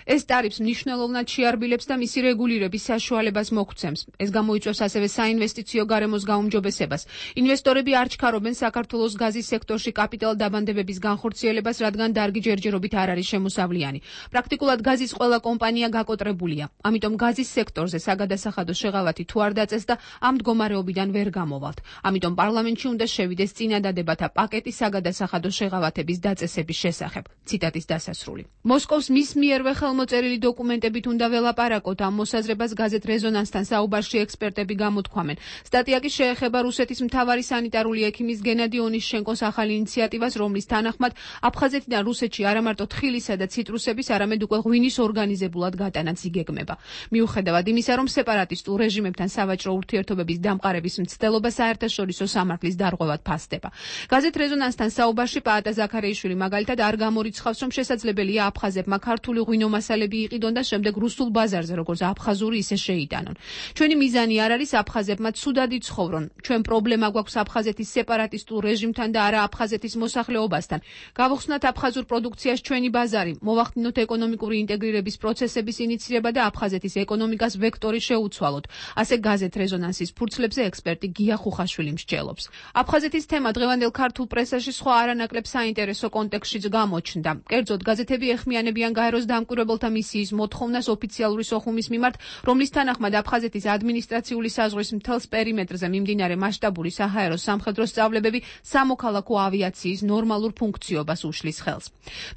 [SPEAKER 7] ეს ტარიფს მნიშვნელოვნად შეარბილებს და მისი რეგულირების საშუალებას მოგცემს. ეს გამოიწვევს ასევე საინვესტიციო გარემოს გაუმჯობესებას. ინვესტორები არ ჩქარობენ საქართველოს გაზის სექტორში კაპიტალ დაბანდებების განხორციელებას, რადგან დარგი ჯერჯერობით არ არის შემოსავლიანი. პრაქტიკულად გაზის ყველა კომპანია გაკოტრებულია. ამიტომ გაზის სექტორზე საგადასახადო შეღავათი თუ არ დაწეს და ამ მდგომარეობიდან ვერ გამოვალთ. ამიტომ პარლამენტში უნდა შევიდეს წინადადებათა პაკეტი საგადასახადო შეღავათების დაწესების შესახებ. ციტატის დასასრული. მოსკოვს მის მიერვე ხელმოწერილი დოკუმენტებით უნდა ველაპარაკოთ. ამ მოსაზრებას გაზეთ რეზონანსთან საუბარში ექსპერტები გამოთქვამენ. სტატია კი შეეხება რუსეთის მთავარი სანიტარული ექიმის გენადი ონიშჩენკოს ახალ ინიციატივას, რომლის თანახმად აფხაზეთიდან რუსეთში არა მარტო თხილისა და ციტრუსების, არამედ უკვე ღვინის ორგანიზებულად გატანაც იგეგმება. მიუხედავად იმისა, რომ სეპარატისტულ რეჟიმებთან სავაჭრო ურთიერთობების დამყარების მცდელობა საერთაშორისო სამართლის დარღვევად ფასდება. გაზეთ რეზონანსთან საუბარში პაატა ზაქარიაშვილი მაგალითად არ გამორიცხავს, რომ შესაძლებელია აფხაზებმა ქართული ღვინო მასალები იყიდონ და შემდეგ რუსულ ბაზარზე როგორც აფხაზური ისე შეიტანონ. ჩვენი მიზანი არ არის აფხაზებმა ცუდად იცხოვრონ. ჩვენ პრობლემა გვაქვს აფხაზეთის სეპარატისტულ რეჟიმთან და არა აფხაზეთის მოსახლეობასთან. გავხსნათ აფხაზურ პროდუქციას ჩვენი ბაზარი, მოვახდინოთ ეკონომიკური ინტეგრირების პროცესების ინიცირება და აფხაზეთის ეკონომიკას ვექტორი შეუცვალოთ. ასე გაზეთ რეზონანსის ფურცლებზე ექსპერტი გია ხუხაშვილი მსჯელობს. აფხაზეთის თემა დღევანდელ ქართულ პრესაში სხვა არანაკლებ საინტერესო კონტექსტშიც გამოჩნდა. კერძოდ გაზეთები ეხმიანებიან გაეროს დამკვირვებელთა მისიის მოთხოვნას ოფიციალური სოხუმის მიმართ, რომლის თანახმად აფხაზეთის ადმინისტრაციული საზღვრის მთელს პერიმეტრზე მიმდინარე მასშტაბური საჰაერო სამხედრო სწავლებები სამოქალაქო ავიაციის ნორმალურ ფუნქციობას უშლის ხელს.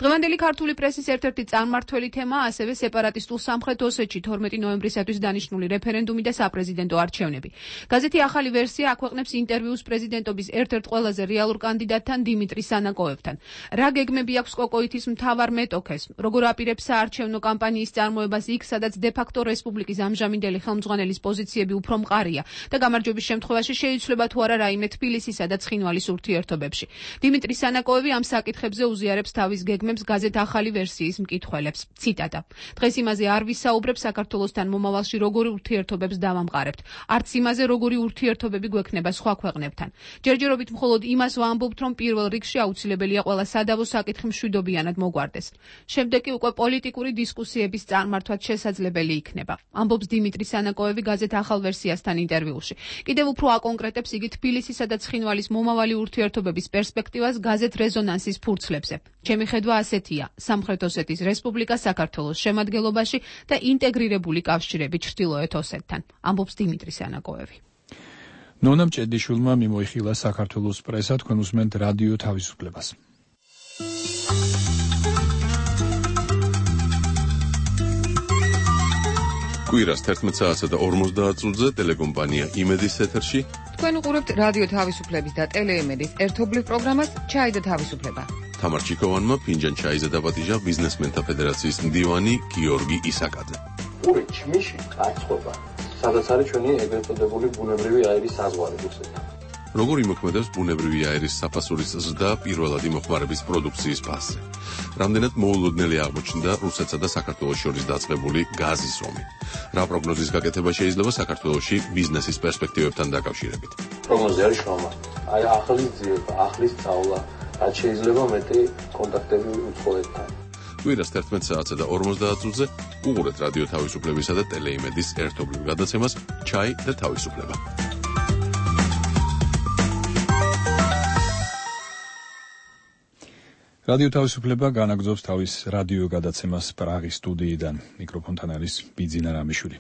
[SPEAKER 7] დღევანდელი ქართული პრესის ერთ-ერთი წარმმართველი თემაა ასევე სეპარატისტულ სამხრეთ ოსეთში თორმეტი ნოემბრისათვის დანიშნული რეფერენდუმი და საპრეზიდენტო არჩევნები. გაზეთი ახალი ვერსია აქვეყნებს ინტერვიუს პრეზიდენტობის ერთ-ერთ ყველაზე რეალურ კანდიდატთან დიმიტრი სანაკოევთან. რა გეგმები აქვს კოკოითის მთავარ მეტოქეს, როგორ აპირებს საარჩევნო კამპანიის წარმოებას იქ, სადაც დე-ფაქტო რესპუბლიკის ამჟამინდელი ხელმძღვანელის პოზიციები უფრო მყარია და გამარჯვების შემთხვევაში შეიცვლება თუ არა რაიმე თბილისისა და ცხინვალის ურთიერთობებში. დიმიტრი სანაკოევი ამ საკითხებზე უზიარებს თავის გეგმებს გაზეთ ახალი ვერსიის მკითხველებს. ციტატა: დღეს იმაზე არ ვისაუბრებ საქართველოსთან მომავალში როგორი ურთიერთობებს დავამყარებთ, არც იმაზე როგორი ურთიერთობები გვექნება სხვა ქვეყნებთან. ჯერჯერობით მხოლოდ იმას ვამბობთ, რომ პირველ რიგში აუცილებელია ყველა სადავო საკითხი მშვიდობიანად მოგვარდეს. შემდეგ კი უკვე პოლიტიკური დისკუსიების წარმართვაც შესაძლებელი იქნება, ამბობს დიმიტრი სანაკოევი გაზეთ ახალ ვერსიასთან ინტერვიუში. კიდევ უფრო აკონკრეტებს იგი თბილისისა და ცხინვალის მომავალი ურთიერთობების პერსპექტივას გაზეთ რეზონანსის ფურცლებზე. ჩემი ხედვა ასეთია: სამხრეთ ოსეთის რესპუბლიკა საქართველოს შემადგენლობაში და ინტეგრირებული კავშირები ჩრდილოეთ ოსეთთან, ამბობს დიმიტრი სანაკოევი.
[SPEAKER 1] ნონა მჭედლიშვილმა მიმოიხილა საქართველოს პრესა, თქვენ უსმენთ რადიო თავისუფლებას.
[SPEAKER 9] კვირას თერთმეტ საათსა და ორმოცდაათ წუთზე ტელეკომპანია იმედის ეთერში.
[SPEAKER 18] თქვენ უყურებთ რადიო თავისუფლების და ტელეიმედის ერთობლივ პროგრამას ჩაი და თავისუფლება.
[SPEAKER 9] თამარ ჩიკოვანმა ფინჯან ჩაიზე დაპატიჟა ბიზნესმენთა ფედერაციის მდივანი გიორგი ისაკაძე.
[SPEAKER 10] ორი ჩმიში კაცობა, სადაც არის ჩვენი ეგრეთ წოდებული ბუნებრივი აირის საზღვარი რუსეთთან.
[SPEAKER 9] როგორ იმოქმედებს ბუნებრივი აირის საფასურის ზრდა პირველად იმოხმარების პროდუქციის ფასზე. რამდენად მოულოდნელი აღმოჩნდა რუსეთსა და საქართველოს შორის დაწყებული გაზის ომი. რა პროგნოზის გაკეთება შეიძლება საქართველოში ბიზნესის პერსპექტივებთან დაკავშირებით?
[SPEAKER 5] პროგნოზი არის შრომა. აი ახალი ძიება, ახლის სწავლა, რაც შეიძლება მეტი კონტაქტები უცხოეთთან.
[SPEAKER 9] კვირას თერთმეტ საათსა და ორმოცდაათ წუთზე უყურეთ რადიო თავისუფლებისა და ტელეიმედის ერთობლივ გადაცემას ჩაი და თავისუფლება. რადიო თავისუფლება განაგრძობს თავის რადიო გადაცემას პრაღის სტუდიიდან. მიკროფონთან არის ბიძინა რამიშვილი.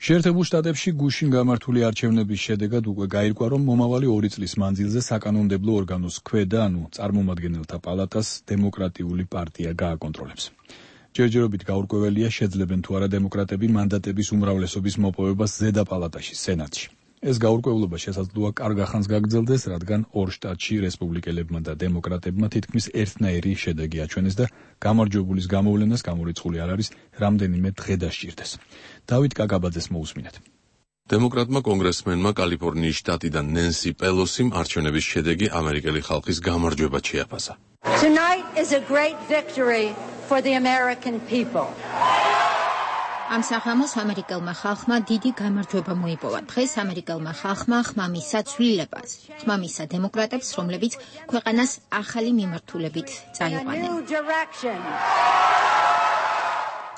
[SPEAKER 9] შეერთებულ შტატებში გუშინ გამართული არჩევნების შედეგად უკვე გაირკვა, რომ მომავალი ორი წლის მანძილზე საკანონმდებლო ორგანოს ქვედა, ანუ წარმომადგენელთა პალატას დემოკრატიული პარტია გააკონტროლებს. ჯერჯერობით გაურკვეველია, შეძლებენ თუ არა დემოკრატები მანდატების უმრავლესობის მოპოვებას ზედა პალატაში, სენატში. ეს გაურკვევლობა შესაძლოა კარგ ახანს გაგრძელდეს, რადგან ორ შტატში რესპუბლიკელებმა და დემოკრატებმა თითქმის ერთნაირი შედეგი აჩვენეს და გამარჯვებულის გამოვლენას გამორიცხული არ არის, რამდენიმე დღე დასჭირდეს. დავით კაკაბაძეს მოусმინეთ. დემოკრატმა კონგრესმენმა კალიფორნიის შტატიდან ნენსი პელოსიმ არჩევნების შედეგი ამერიკელი ხალხის გამარჯვებად შეაფასა.
[SPEAKER 10] Tonight is a great victory for the American people.
[SPEAKER 11] ამ სახამოს ამერიკელმა ხალხმა დიდი გამარჯვება მოიპოვა. დღეს ამერიკელმა ხალხმა ხმამისა ცვლილებას, ხმამისა დემოკრატებს, რომლებიც ქვეყანას ახალი მიმართულებით წაიყვანენ.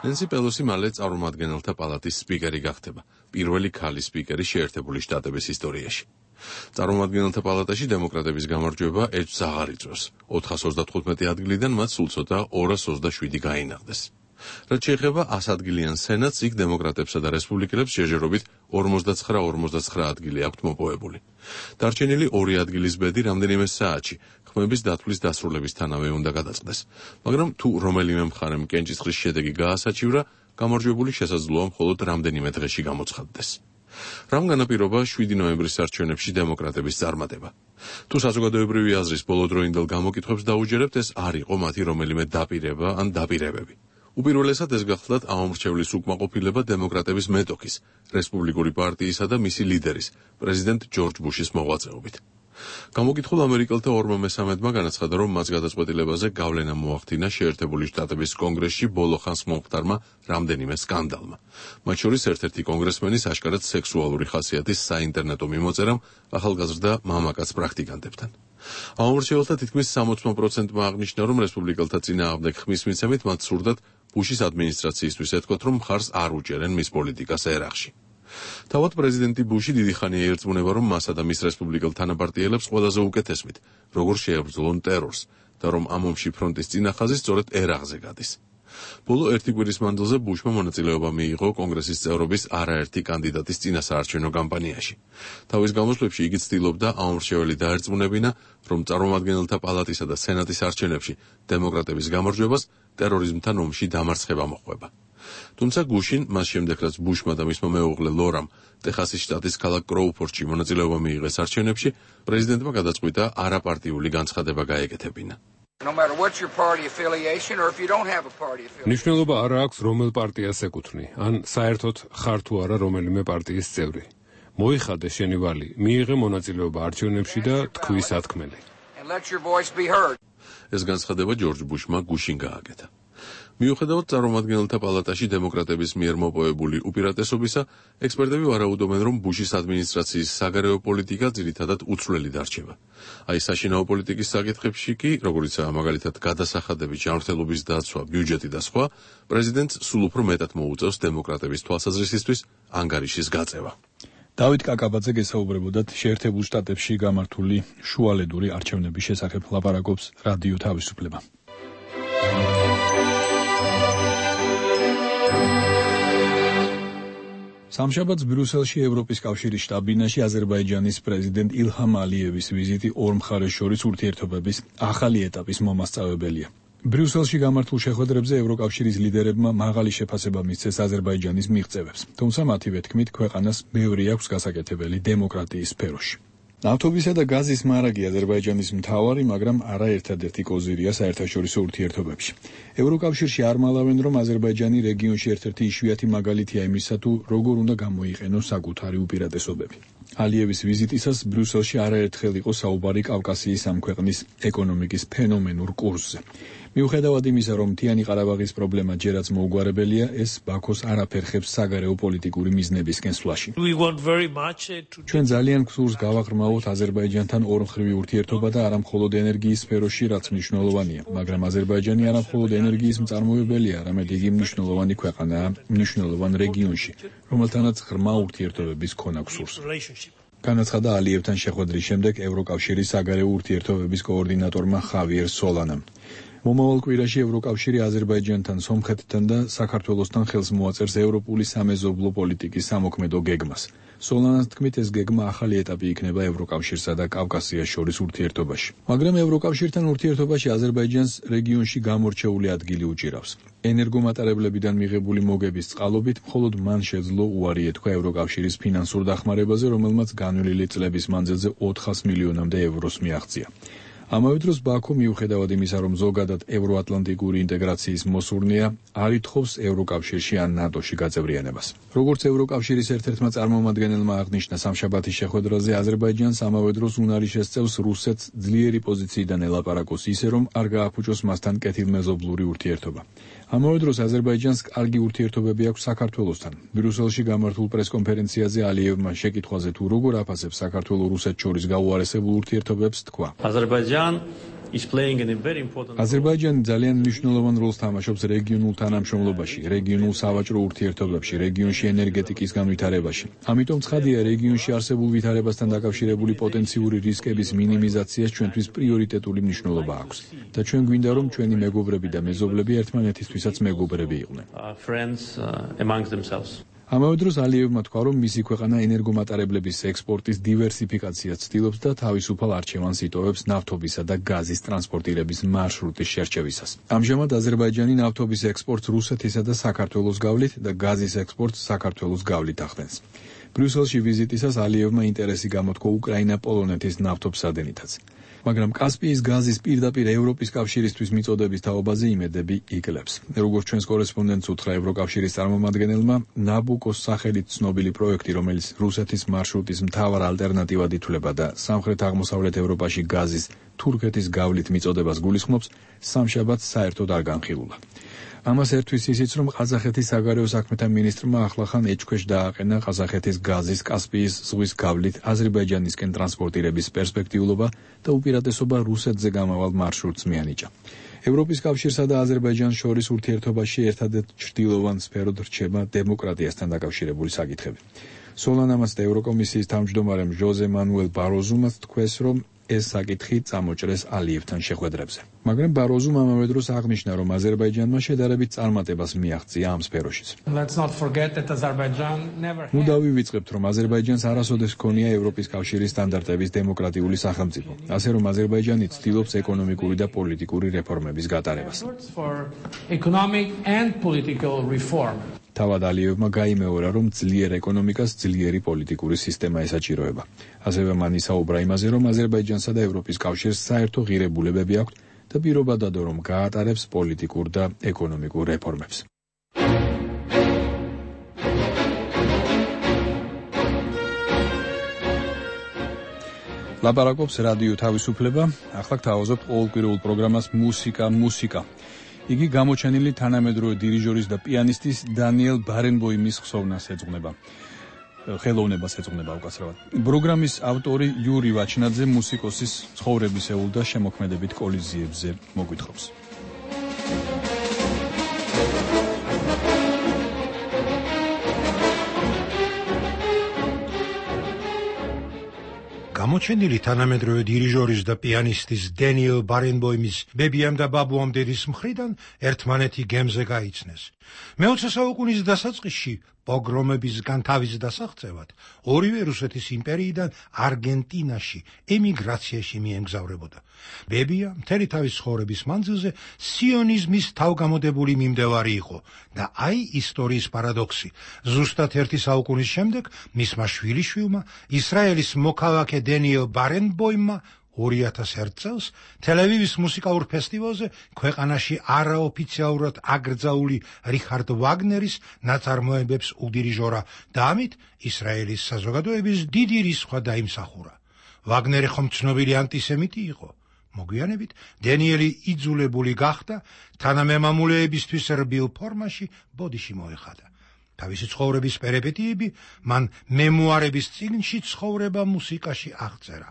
[SPEAKER 9] ნენსი პელოსი მალე წარმომადგენელთა პალატის სპიკერი გახდება, პირველი ქალი სპიკერი შეერთებული შტატების ისტორიაში. წარმომადგენელთა პალატაში დემოკრატების გამარჯვება ერთს აღარ იწვევს. ოთხას ოცდათხუთმეტი ადგილიდან მათ სულ ცოტა ორას ოცდაშვიდი გაინაღდეს. რაც შეეხება ასადგილიან სენატს, იქ დემოკრატებსა და რესპუბლიკელებს შეჯერობით ორმოცდაცხრა ორმოცდაცხრა ადგილი აქვთ მოპოვებული. დარჩენილი ორი ადგილის ბედი რამდენიმე საათში ხმების დათვლის დასრულებისთანავე უნდა გადაწყდეს. მაგრამ თუ რომელიმე მხარემ კენჭისყრის შედეგი გაასაჩივრა, გამარჯვებული შესაძლოა მხოლოდ რამდენიმე დღეში გამოცხადდეს. რამ განაპირობა შვიდი ნოემბრის არჩევნებში დემოკრატების წარმატება? თუ საზოგადოებრივი აზრის ბოლოდროინდელ გამოკითხვებს დაუჯერებთ, ეს არ იყო მათი რომელიმე დაპირება ან დაპირებები. უპირველესად ეს გახლდათ აუმრჩევლის უკმაყოფილება დემოკრატების მეტოქის, რესპუბლიკური პარტიისა და მისი ლიდერის, პრეზიდენტ ჯორჯ ბუშის მოღვაწეობით. გამოკითხულ ამერიკელთა ორმა მესამედმა განაცხადა, რომ მას გადაწყვეტილებაზე გავლენა მოახდინა შეერთებული შტატების კონგრესში ბოლო ხანს მომხდარმა რამდენიმე სკანდალმა. მათ შორის ერთ-ერთი კონგრესმენის აშკარად სექსუალური ხასიათის საინტერნეტო მიმოწერამ ახალგაზრდა მამაკაც პრაქტიკანტებთან. აუმრჩეველთა თითქმის სამოცდე პროცენტმა აღნიშნა, რომ რესპუბლიკელთა წინააღმდეგ ხმის მიცემით მათ სურდათ ბუშის ადმინისტრაციისთვის ეთქვათ, რომ მხარს არ უჭერენ მის პოლიტიკას ერაყში. თავად პრეზიდენტი ბუში დიდი ხანია ერწმუნება, რომ მასა და მის რესპუბლიკელ თანაპარტიელებს ყველაზე უკეთესმით, როგორ შეებრძოლონ ტერორს და რომ ამ ომში ფრონტის წინახაზი სწორედ ერაყზე გადის. ბოლო ერთი კვირის მანძილზე ბუშმა მონაწილეობა მიიღო კონგრესის წევრობის არაერთი კანდიდატის წინასაარჩევნო კამპანიაში. თავის გამოსვლებში იგი ცდილობდა აუმრჩეველი დაერწმუნებინა, რომ წარმომადგენელთა პალატისა და სენატის არჩევნებში დემოკრატების გამარჯვებას ტერორიზმთან ომში დამარცხება მოჰყვება. თუმცა გუშინ, მას შემდეგ რაც ბუშმა და მისმა მეუღლე ლორამ ტეხასის შტატის ქალაქ კროუფორდში მონაწილეობა მიიღეს არჩევნებში, პრეზიდენტმა გადაწყვიტა არაპარტიული განცხადება გაეკეთებინა.
[SPEAKER 14] No matter what your party affiliation or if you don't have a party affiliation.
[SPEAKER 2] ნიშნულობა არ აქვს რომელ პარტიას ეკუთვნი, ან საერთოდ ხარ თუ არა რომელიმე პარტიის წევრი. მოიხადე შენი ვალი, მიიღე მონაწილეობა არჩევნებში და თქვი სათქმელი.
[SPEAKER 14] And let your voice be heard.
[SPEAKER 9] ეს განცხადება ჯორჯ ბუშმა გუშინ გააკეთა. მიუხედავად წარმომადგენელთა პალატაში დემოკრატების მიერ მოპოვებული უპირატესობისა, ექსპერტები ვარაუდობენ, რომ ბუშის ადმინისტრაციის საგარეო პოლიტიკა ძირითადად უცვლელი დარჩება. აი საშინაო პოლიტიკის საკითხებში კი, როგორიცაა მაგალითად გადასახადების ჯანმრთელობის დაცვა, ბიუჯეტი და სხვა, პრეზიდენტს სულ უფრო მეტად მოუწევს დემოკრატების თვალსაზრისისთვის ანგარიშის გაწევა.
[SPEAKER 1] დავით კაკაბაძე გესაუბრებოდათ შეერთებულ შტატებში გამართული შუალედური არჩევნების შესახებ, ლაპარაკობს რადიო თავისუფლება. სამშაბათს ბრიუსელში ევროპის კავშირის შტაბ-ბინაში აზერბაიჯანის პრეზიდენტ ილჰამ ალიევის ვიზიტი ორ მხარეს შორის ურთიერთობების ახალი ეტაპის მომასწავებელია. ბრიუსელში გამართულ შეხვედრებზე ევროკავშირის ლიდერებმა მაღალი შეფასება მისცეს აზერბაიჯანის მიღწევებს, თუმცა მათივე თქმით ქვეყანას ბევრი აქვს გასაკეთებელი დემოკრატიის სფეროში. ნავთობისა და გაზის მარაგი აზერბაიჯანის მთავარი, მაგრამ არა ერთადერთი კოზირია საერთაშორისო ურთიერთობებში. ევროკავშირში არ მალავენ, რომ აზერბაიჯანი რეგიონში ერთ-ერთი იშვიათი მაგალითია იმისა, თუ როგორ უნდა გამოიყენოს საკუთარი უპირატესობები. ალიევის ვიზიტისას ბრიუსელში არაერთხელ იყო საუბარი კავკასიის ამ ქვეყნის ეკონომიკის ფენომენურ კურსზე. მიუხედავად იმისა, რომ მთიანი ყარაბაღის პრობლემა ჯერაც მოუგვარებელია, ეს ბაქოს არ აფერხებს საგარეო პოლიტიკური მიზნებისკენ სვლაში. ჩვენ ძალიან გსურს გავაღრმავოთ აზერბაიჯანთან ორმხრივი ურთიერთობა და არა მხოლოდ ენერგიის სფეროში, რაც მნიშვნელოვანია, მაგრამ აზერბაიჯანი არა მხოლოდ ენერგიის მწარმოებელია, არამედ იგი მნიშვნელოვანი ქვეყანაა მნიშვნელოვან რეგიონში, რომელთანაც ღრმა ურთიერთობების ქონა გსურს. განაცხადა ალიევთან შეხვედრის შემდეგ ევროკავშირის საგარეო ურთიერთობების კოორდინატორმა ხავიერ სოლანამ. მომავალ კვირაში ევროკავშირი აზერბაიჯანთან, სომხეთთან და საქართველოსთან ხელს მოაწერს ევროპული სამეზობლო პოლიტიკის სამოქმედო გეგმას. სოლანას თქმით, ეს გეგმა ახალი ეტაპი იქნება ევროკავშირსა და კავკასიას შორის ურთიერთობაში. მაგრამ ევროკავშირთან ურთიერთობაში აზერბაიჯანს რეგიონში გამორჩეული ადგილი უჭირავს. ენერგომატარებლებიდან მიღებული მოგების წყალობით მხოლოდ მან შეძლო უარი ეთქვა ევროკავშირის ფინანსურ დახმარებაზე, რომელმაც განვლილი წლების მანძილზე ოთხას მილიონამდე ევროს მიაღწია. ამავე დროს ბაქო მიუხედავად იმისა, რომ ზოგადად ევროატლანტიკური ინტეგრაციის მოსურნეა, არ ითხოვს ევროკავშირში ან ნატოში გაწევრიანებას. როგორც ევროკავშირის ერთ-ერთმა წარმომადგენელმა აღნიშნა სამშაბათის შეხვედრაზე, აზერბაიჯანს ამავე დროს უნარი შესწევს რუსეთს ძლიერი პოზიციიდან ელაპარაკოს ისე, რომ არ გააფუჭოს მასთან კეთილმეზობლური ურთიერთობა. ამავე დროს აზერბაიჯანს კარგი ურთიერთობები აქვს საქართველოსთან. ბრიუსელში გამართულ პრესკონფერენციაზე ალიევმა შეკითხვაზე თუ როგორ აფასებს საქართველოს რუსეთს შორის გაუარესებულ ურთიერთობებს თქვა. აზერბაიჯანი ძალიან მნიშვნელოვან როლს თამაშობს რეგიონულ თანამშრომლობაში, რეგიონულ სავაჭრო ურთიერთობებში, რეგიონში ენერგეტიკის განვითარებაში. ამიტომ ცხადია, რეგიონში არსებულ ვითარებასთან დაკავშირებული პოტენციური რისკების მინიმიზაციას ჩვენთვის პრიორიტეტული მნიშვნელობა აქვს. და ჩვენ გვინდა, რომ ჩვენი მეგობრები და მეზობლები ერთმანეთისთვისაც მეგობრები იყვნენ. ამავე დროს ალიევმა თქვა, რომ მისი ქვეყანა ენერგომატარებლების ექსპორტის დივერსიფიკაციას ცდილობს და თავისუფალ არჩევანს იტოვებს ნავთობისა და გაზის ტრანსპორტირების მარშრუტის შერჩევისას. ამჟამად აზერბაიჯანი ნავთობის ექსპორტს რუსეთისა და საქართველოს გავლით და გაზის ექსპორტს საქართველოს გავლით ახდენს. ბრიუსელში ვიზიტისას ალიევმა ინტერესი გამოთქვა უკრაინა-პოლონეთის ნავთობსადენითაც. მაგრამ კასპიის გაზის პირდაპირ ევროპის კავშირისთვის მიწოდების თაობაზე იმედები იკლებს. როგორც ჩვენს კორესპონდენტს უთხრა ევროკავშირის წარმომადგენელმა, ნაბუკოს სახელით ცნობილი პროექტი, რომელიც რუსეთის მარშრუტის მთავარ ალტერნატივად ითვლება და სამხრეთ-აღმოსავლეთ ევროპაში გაზის თურქეთის გავლით მიწოდებას გულისხმობს, სამშაბათს საერთოდ არ განხილულა. ამას ერთვის ისიც, რომ ყაზახეთის საგარეო საქმეთა მინისტრმა ახლახან ეჭქვეშ დააყენა ყაზახეთის გაზის კასპიის ზღვის გავლით აზერბაიჯანისკენ ტრანსპორტირების პერსპექტიულობა და უპირატესობა რუსეთზე გამავალ მარშრუტს მიანიჭა. ევროპის კავშირსა და აზერბაიჯანს შორის ურთიერთობაში ერთადერთ ჭრილოვან სფეროდ რჩება დემოკრატიასთან დაკავშირებული საკითხები. სოლანამაც და ევროკომისიის თავმჯდომარემ ჟოზე მანუელ ბაროზუმაც თქვეს, რომ ეს საკითხი წამოჭრეს ალიევთან შეხვედრებზე. მაგრამ ბაროზუმ ამავე დროს აღნიშნა, რომ აზერბაიჯანმა შედარებით წარმატებას მიაღწია ამ სფეროშიც. ნუ დავივიწყებთ, რომ აზერბაიჯანს არასოდეს ჰქონია ევროპის კავშირის სტანდარტების დემოკრატიული სახელმწიფო, ასე რომ აზერბაიჯანი ცდილობს ეკონომიკური და პოლიტიკური რეფორმების გატარებას. თავად ალიევმა გაიმეორა, რომ ძლიერ ეკონომიკას ძლიერი პოლიტიკური სისტემა ესაჭიროება. ასევე მან ისაუბრა იმაზე, რომ აზერბაიჯანსა და ევროპის კავშირს საერთო ღირებულებები აქვთ და პირობა დადო, რომ გაატარებს პოლიტიკურ და ეკონომიკურ რეფორმებს. ლაპარაკობს რადიო თავისუფლება, ახლა გთავაზობთ ყოველკვირეულ პროგრამას მუსიკა, მუსიკა. იგი გამოჩენილი თანამედროვე დირიჟორის და პიანისტის დანიელ ბარენბოიმის ხსოვნას ეძღვნება. ხელოვნებას ეძღვნება უკაცრავად. პროგრამის ავტორი იური ვაჩნაძე მუსიკოსის ცხოვრებისეულ და შემოქმედებით კოლიზიებზე მოგვითხრობს.
[SPEAKER 13] გამოჩენილი თანამედროვე დირიჟორის და პიანისტის დენიელ ბარენბოიმის ბებიამ და ბაბუამ დედის მხრიდან ერთმანეთი გემზე გაიცნეს. მეოცე საუკუნის დასაწყისში პოგრომებისგან თავის დასაღწევად ორივე რუსეთის იმპერიიდან არგენტინაში ემიგრაციაში მიემგზავრებოდა. ბებია მთელი თავის ცხოვრების მანძილზე სიონიზმის თავგამოდებული მიმდევარი იყო და აი ისტორიის პარადოქსი. ზუსტად ერთი საუკუნის შემდეგ მისმა შვილიშვილმა ისრაელის მოქალაქე დენიელ ბარენბოიმმა ორი ათას ერთ წელს თელ-ავივის მუსიკალურ ფესტივალზე ქვეყანაში არაოფიციალურად აკრძალული რიხარდ ვაგნერის ნაწარმოებებს უდირიჟორა და ამით ისრაელის საზოგადოების დიდი რისხვა დაიმსახურა. ვაგნერი ხომ ცნობილი ანტისემიტი იყო? მოგვიანებით დენიელი იძულებული გახდა თანამემამულეებისთვის რბილ ფორმაში ბოდიში მოეხადა. თავისი ცხოვრების პერიპეტიები მან მემუარების წიგნში ცხოვრება მუსიკაში აღწერა.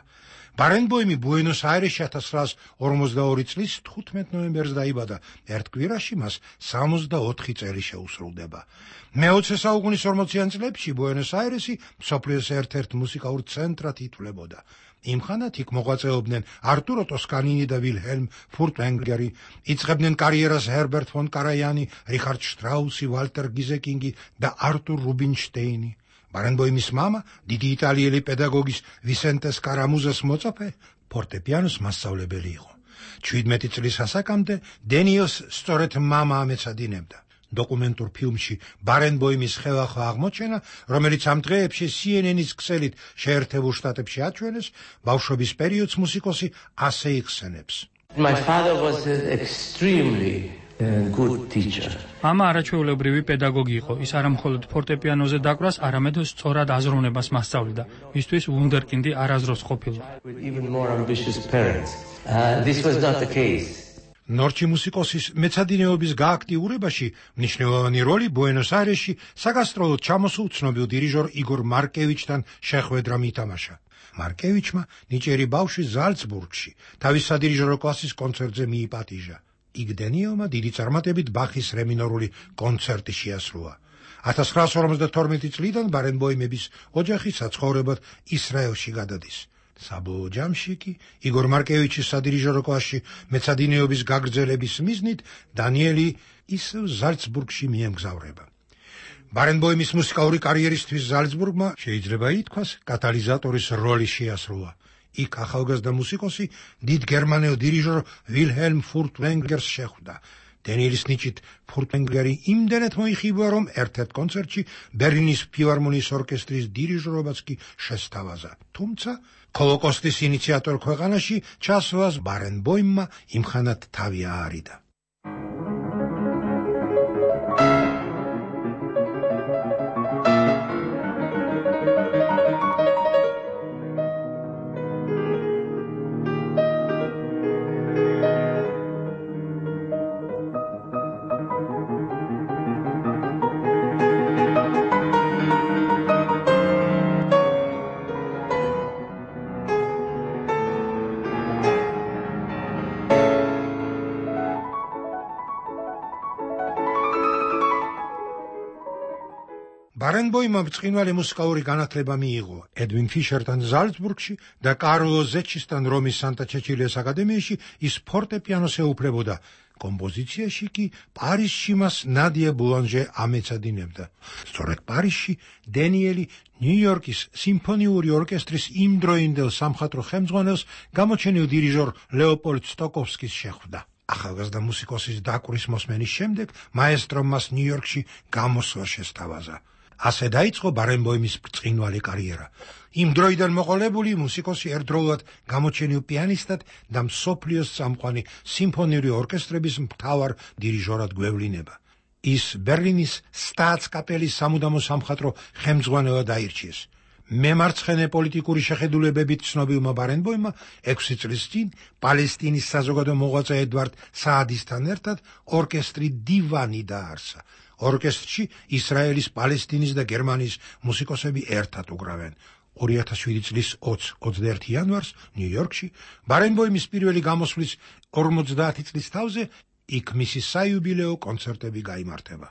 [SPEAKER 13] ბარენბოიმი ბუენოს-აირესში ათას ცხრაას ორმოცდაორი წლის თხუთმეტ ნოემბერს დაიბადა. ერთ კვირაში მას სამოცდაოთხი წელი შეუსრულდება. მეოცე საუკუნის ორმოციან წლებში ბუენოს-აირესი მსოფლიოს ერთ-ერთ მუსიკალურ ცენტრად ითვლებოდა. იმ ხანად იქ მოღვაწეობდნენ არტურო ტოსკანინი და ვილჰელმ ფურტვენგერი, იწყებდნენ კარიერას ჰერბერტ ფონ კარაიანი, რიხარდ შტრაუსი, ვალტერ გიზეკინგი და არტურ რუბინშტეინი. ბარენბოიმის მამა, დიდი იტალიელი პედაგოგის ვისენტე სკარამუზას მოწაფე, ფორტეპიანოს მასწავლებელი იყო. შვიდმეტი წლის ასაკამდე დენიელს სწორედ მამა ამეცადინებდა. დოკუმენტურ ფილმში ბარენბოიმის ხელახლა აღმოჩენა, რომელიც ამ დღეებში C N N-ის ქსელით შეერთებულ შტატებში აჩვენეს, ბავშვობის პერიოდს მუსიკოსი ასე იხსენებს.
[SPEAKER 5] My father was extremely a good teacher.
[SPEAKER 8] მამა არაჩვეულებრივი პედაგოგი იყო. ის არა მხოლოდ ფორტეპიანოზე დაკვრას, არამედ სწორად აზროვნებას მასწავლიდა. მისთვის ვუნდერკინდი არასდროს ყოფილა.
[SPEAKER 5] With even more ambitious parents. Uh, this was not the case.
[SPEAKER 13] ნორჩი მუსიკოსის მეცადინეობის გააქტიურებაში მნიშვნელოვანი როლი ბუენოს-აირესში საგასტროლოდ ჩამოსულ ცნობილ დირიჟორ იგორ მარკევიჩთან შეხვედრამ ითამაშა. მარკევიჩმა ნიჭიერი ბავშვი ზალცბურგში თავის სადირიჟორო კლასის კონცერტზე მიიპატიჟა. იქ დენიელმა დიდი წარმატებით ბახის რე მინორული კონცერტი შეასრულა. ათას ცხრაას ორმოცდათორმეტი წლიდან ბარენბოიმების ოჯახი საცხოვრებლად ისრაელში გადადის. საბოლოო ჯამში კი იგორ მარკევიჩის სადირიჟორო კლასში მეცადინეობის გაგრძელების მიზნით დანიელი ისევ ზალცბურგში მიემგზავრება. ბარენბოიმის მუსიკალური კარიერისთვის ზალცბურგმა შეიძლება ითქვას კატალიზატორის როლი შეასრულა. იქ ახალგაზრდა მუსიკოსი დიდ გერმანელ დირიჟორ ვილჰელმ ფურტვენგერს შეხვდა. დენიელის ნიჭით ფურტვენგერი იმდენად მოიხიბლა, რომ ერთ-ერთ კონცერტში ბერლინის ფილარმონიის ორკესტრის დირიჟორობაც კი შესთავაზა. თუმცა ჰოლოკოსტის ინიციატორ ქვეყანაში ჩასვლას ბარენბოიმმა იმხანად თავი აარიდა. ბარენბოიმმა ბრწყინვალე მუსიკალური განათლება მიიღო ედვინ ფიშერთან ზალცბურგში და კარლო ზეჩისთან რომის სანტა-ჩეჩილიას აკადემიაში ის ფორტეპიანოს ეუფლებოდა. კომპოზიციაში კი პარიზში მას ნადია ბულანჟე ამეცადინებდა. სწორედ პარიზში დენიელი ნიუ-იორკის სიმფონიური ორკესტრის იმდროინდელ სამხატვრო ხელმძღვანელს გამოჩენილ დირიჟორ ლეოპოლდ სტოკოვსკის შეხვდა. ახალგაზრდა მუსიკოსის დაკვრის მოსმენის შემდეგ მაესტრომ მას ნიუ-იორკში გამოსვლა შესთავაზა. ასე დაიწყო ბარენბოიმის ბრწყინვალე კარიერა. იმ დროიდან მოყოლებული მუსიკოსი ერთდროულად გამოჩენილ პიანისტად და მსოფლიოს წამყვანი სიმფონიური ორკესტრების მთავარ დირიჟორად გვევლინება. ის ბერლინის სტაატსკაპელის სამუდამო სამხატვრო ხელმძღვანელად აირჩიეს. მემარცხენე პოლიტიკური შეხედულებებით ცნობილმა ბარენბოიმმა ექვსი წლის წინ პალესტინის საზოგადო მოღვაწე ედვარდ საადისთან ერთად ორკესტრი დივანი დაარსა. ორკესტრში ისრაელის, პალესტინის და გერმანიის მუსიკოსები ერთად უკრავენ. ორი ათას შვიდი წლის ოცდაერთი იანვარს ნიუ-იორკში ბარენბოიმის პირველი გამოსვლის ორმოცდაათი წლის თავზე იქ მისი საიუბილეო კონცერტები გაიმართება.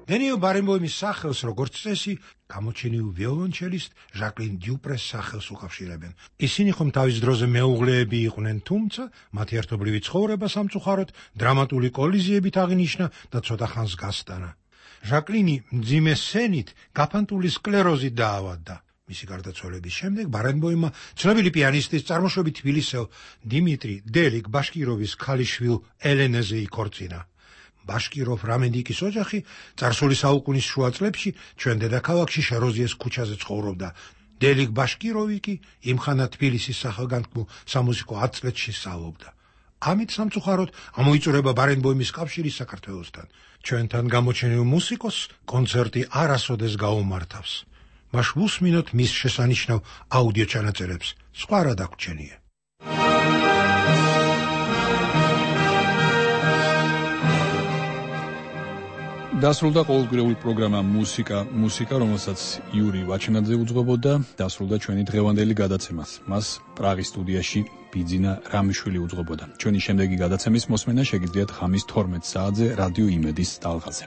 [SPEAKER 13] დენიელ ბარენბოიმის სახელს, როგორც წესი, გამოჩენილ ვიოლონჩელისტ ჟაკლინ დიუპრეს სახელს უკავშირებენ. ისინი ხომ თავის დროზე მეუღლეები იყვნენ, თუმცა მათი ერთობლივი ცხოვრება სამწუხაროდ დრამატული კოლიზიებით აღინიშნა და ცოტა ხანს გასტანა. ჟაკლინი მძიმე სენით გაფანტული სკლეროზით დაავადდა. მისი გარდაცვალების შემდეგ ბარენბოიმმა ცნობილი პიანისტის წარმოშობით თბილისელ დიმიტრი დელიკ ბაშკიროვის ქალიშვილ ელენეზე იქორწინა. ბაშკიროვ რამენდიკის ოჯახი წარსული საუკუნის შუა წლებში ჩვენ დედაქალაქში შეროზიეს ქუჩაზე ცხოვრობდა. დელიკ ბაშკიროვი კი იმხანა თბილისის სახელგანთქმულ სამუსიკო ათწლედში სწავლობდა. ამით სამწუხაროდ ამოიწურება ბარენბოიმის კავშირი საქართველოსთან. ჩვენთან გამოჩენილ მუსიკოსს კონცერტი არასოდეს გაუმართავს. მას ვუსმინოთ მის შესანიშნავ აუდიო ჩანაწერებს. სხვა რა დაგვრჩენია.
[SPEAKER 1] დასრულდა ყოველკვირეული პროგრამა მუსიკა მუსიკა, რომელსაც იური ვაჩნაძე უძღვებოდა, დასრულდა ჩვენი დღევანდელი გადაცემაც. მას პრაღის სტუდიაში ბიძინა რამიშვილი უძღვებოდა. ჩვენი შემდეგი გადაცემის მოსმენა შეგიძლიათ ღამის თორმეტ საათზე რადიო იმედის ტალღაზე.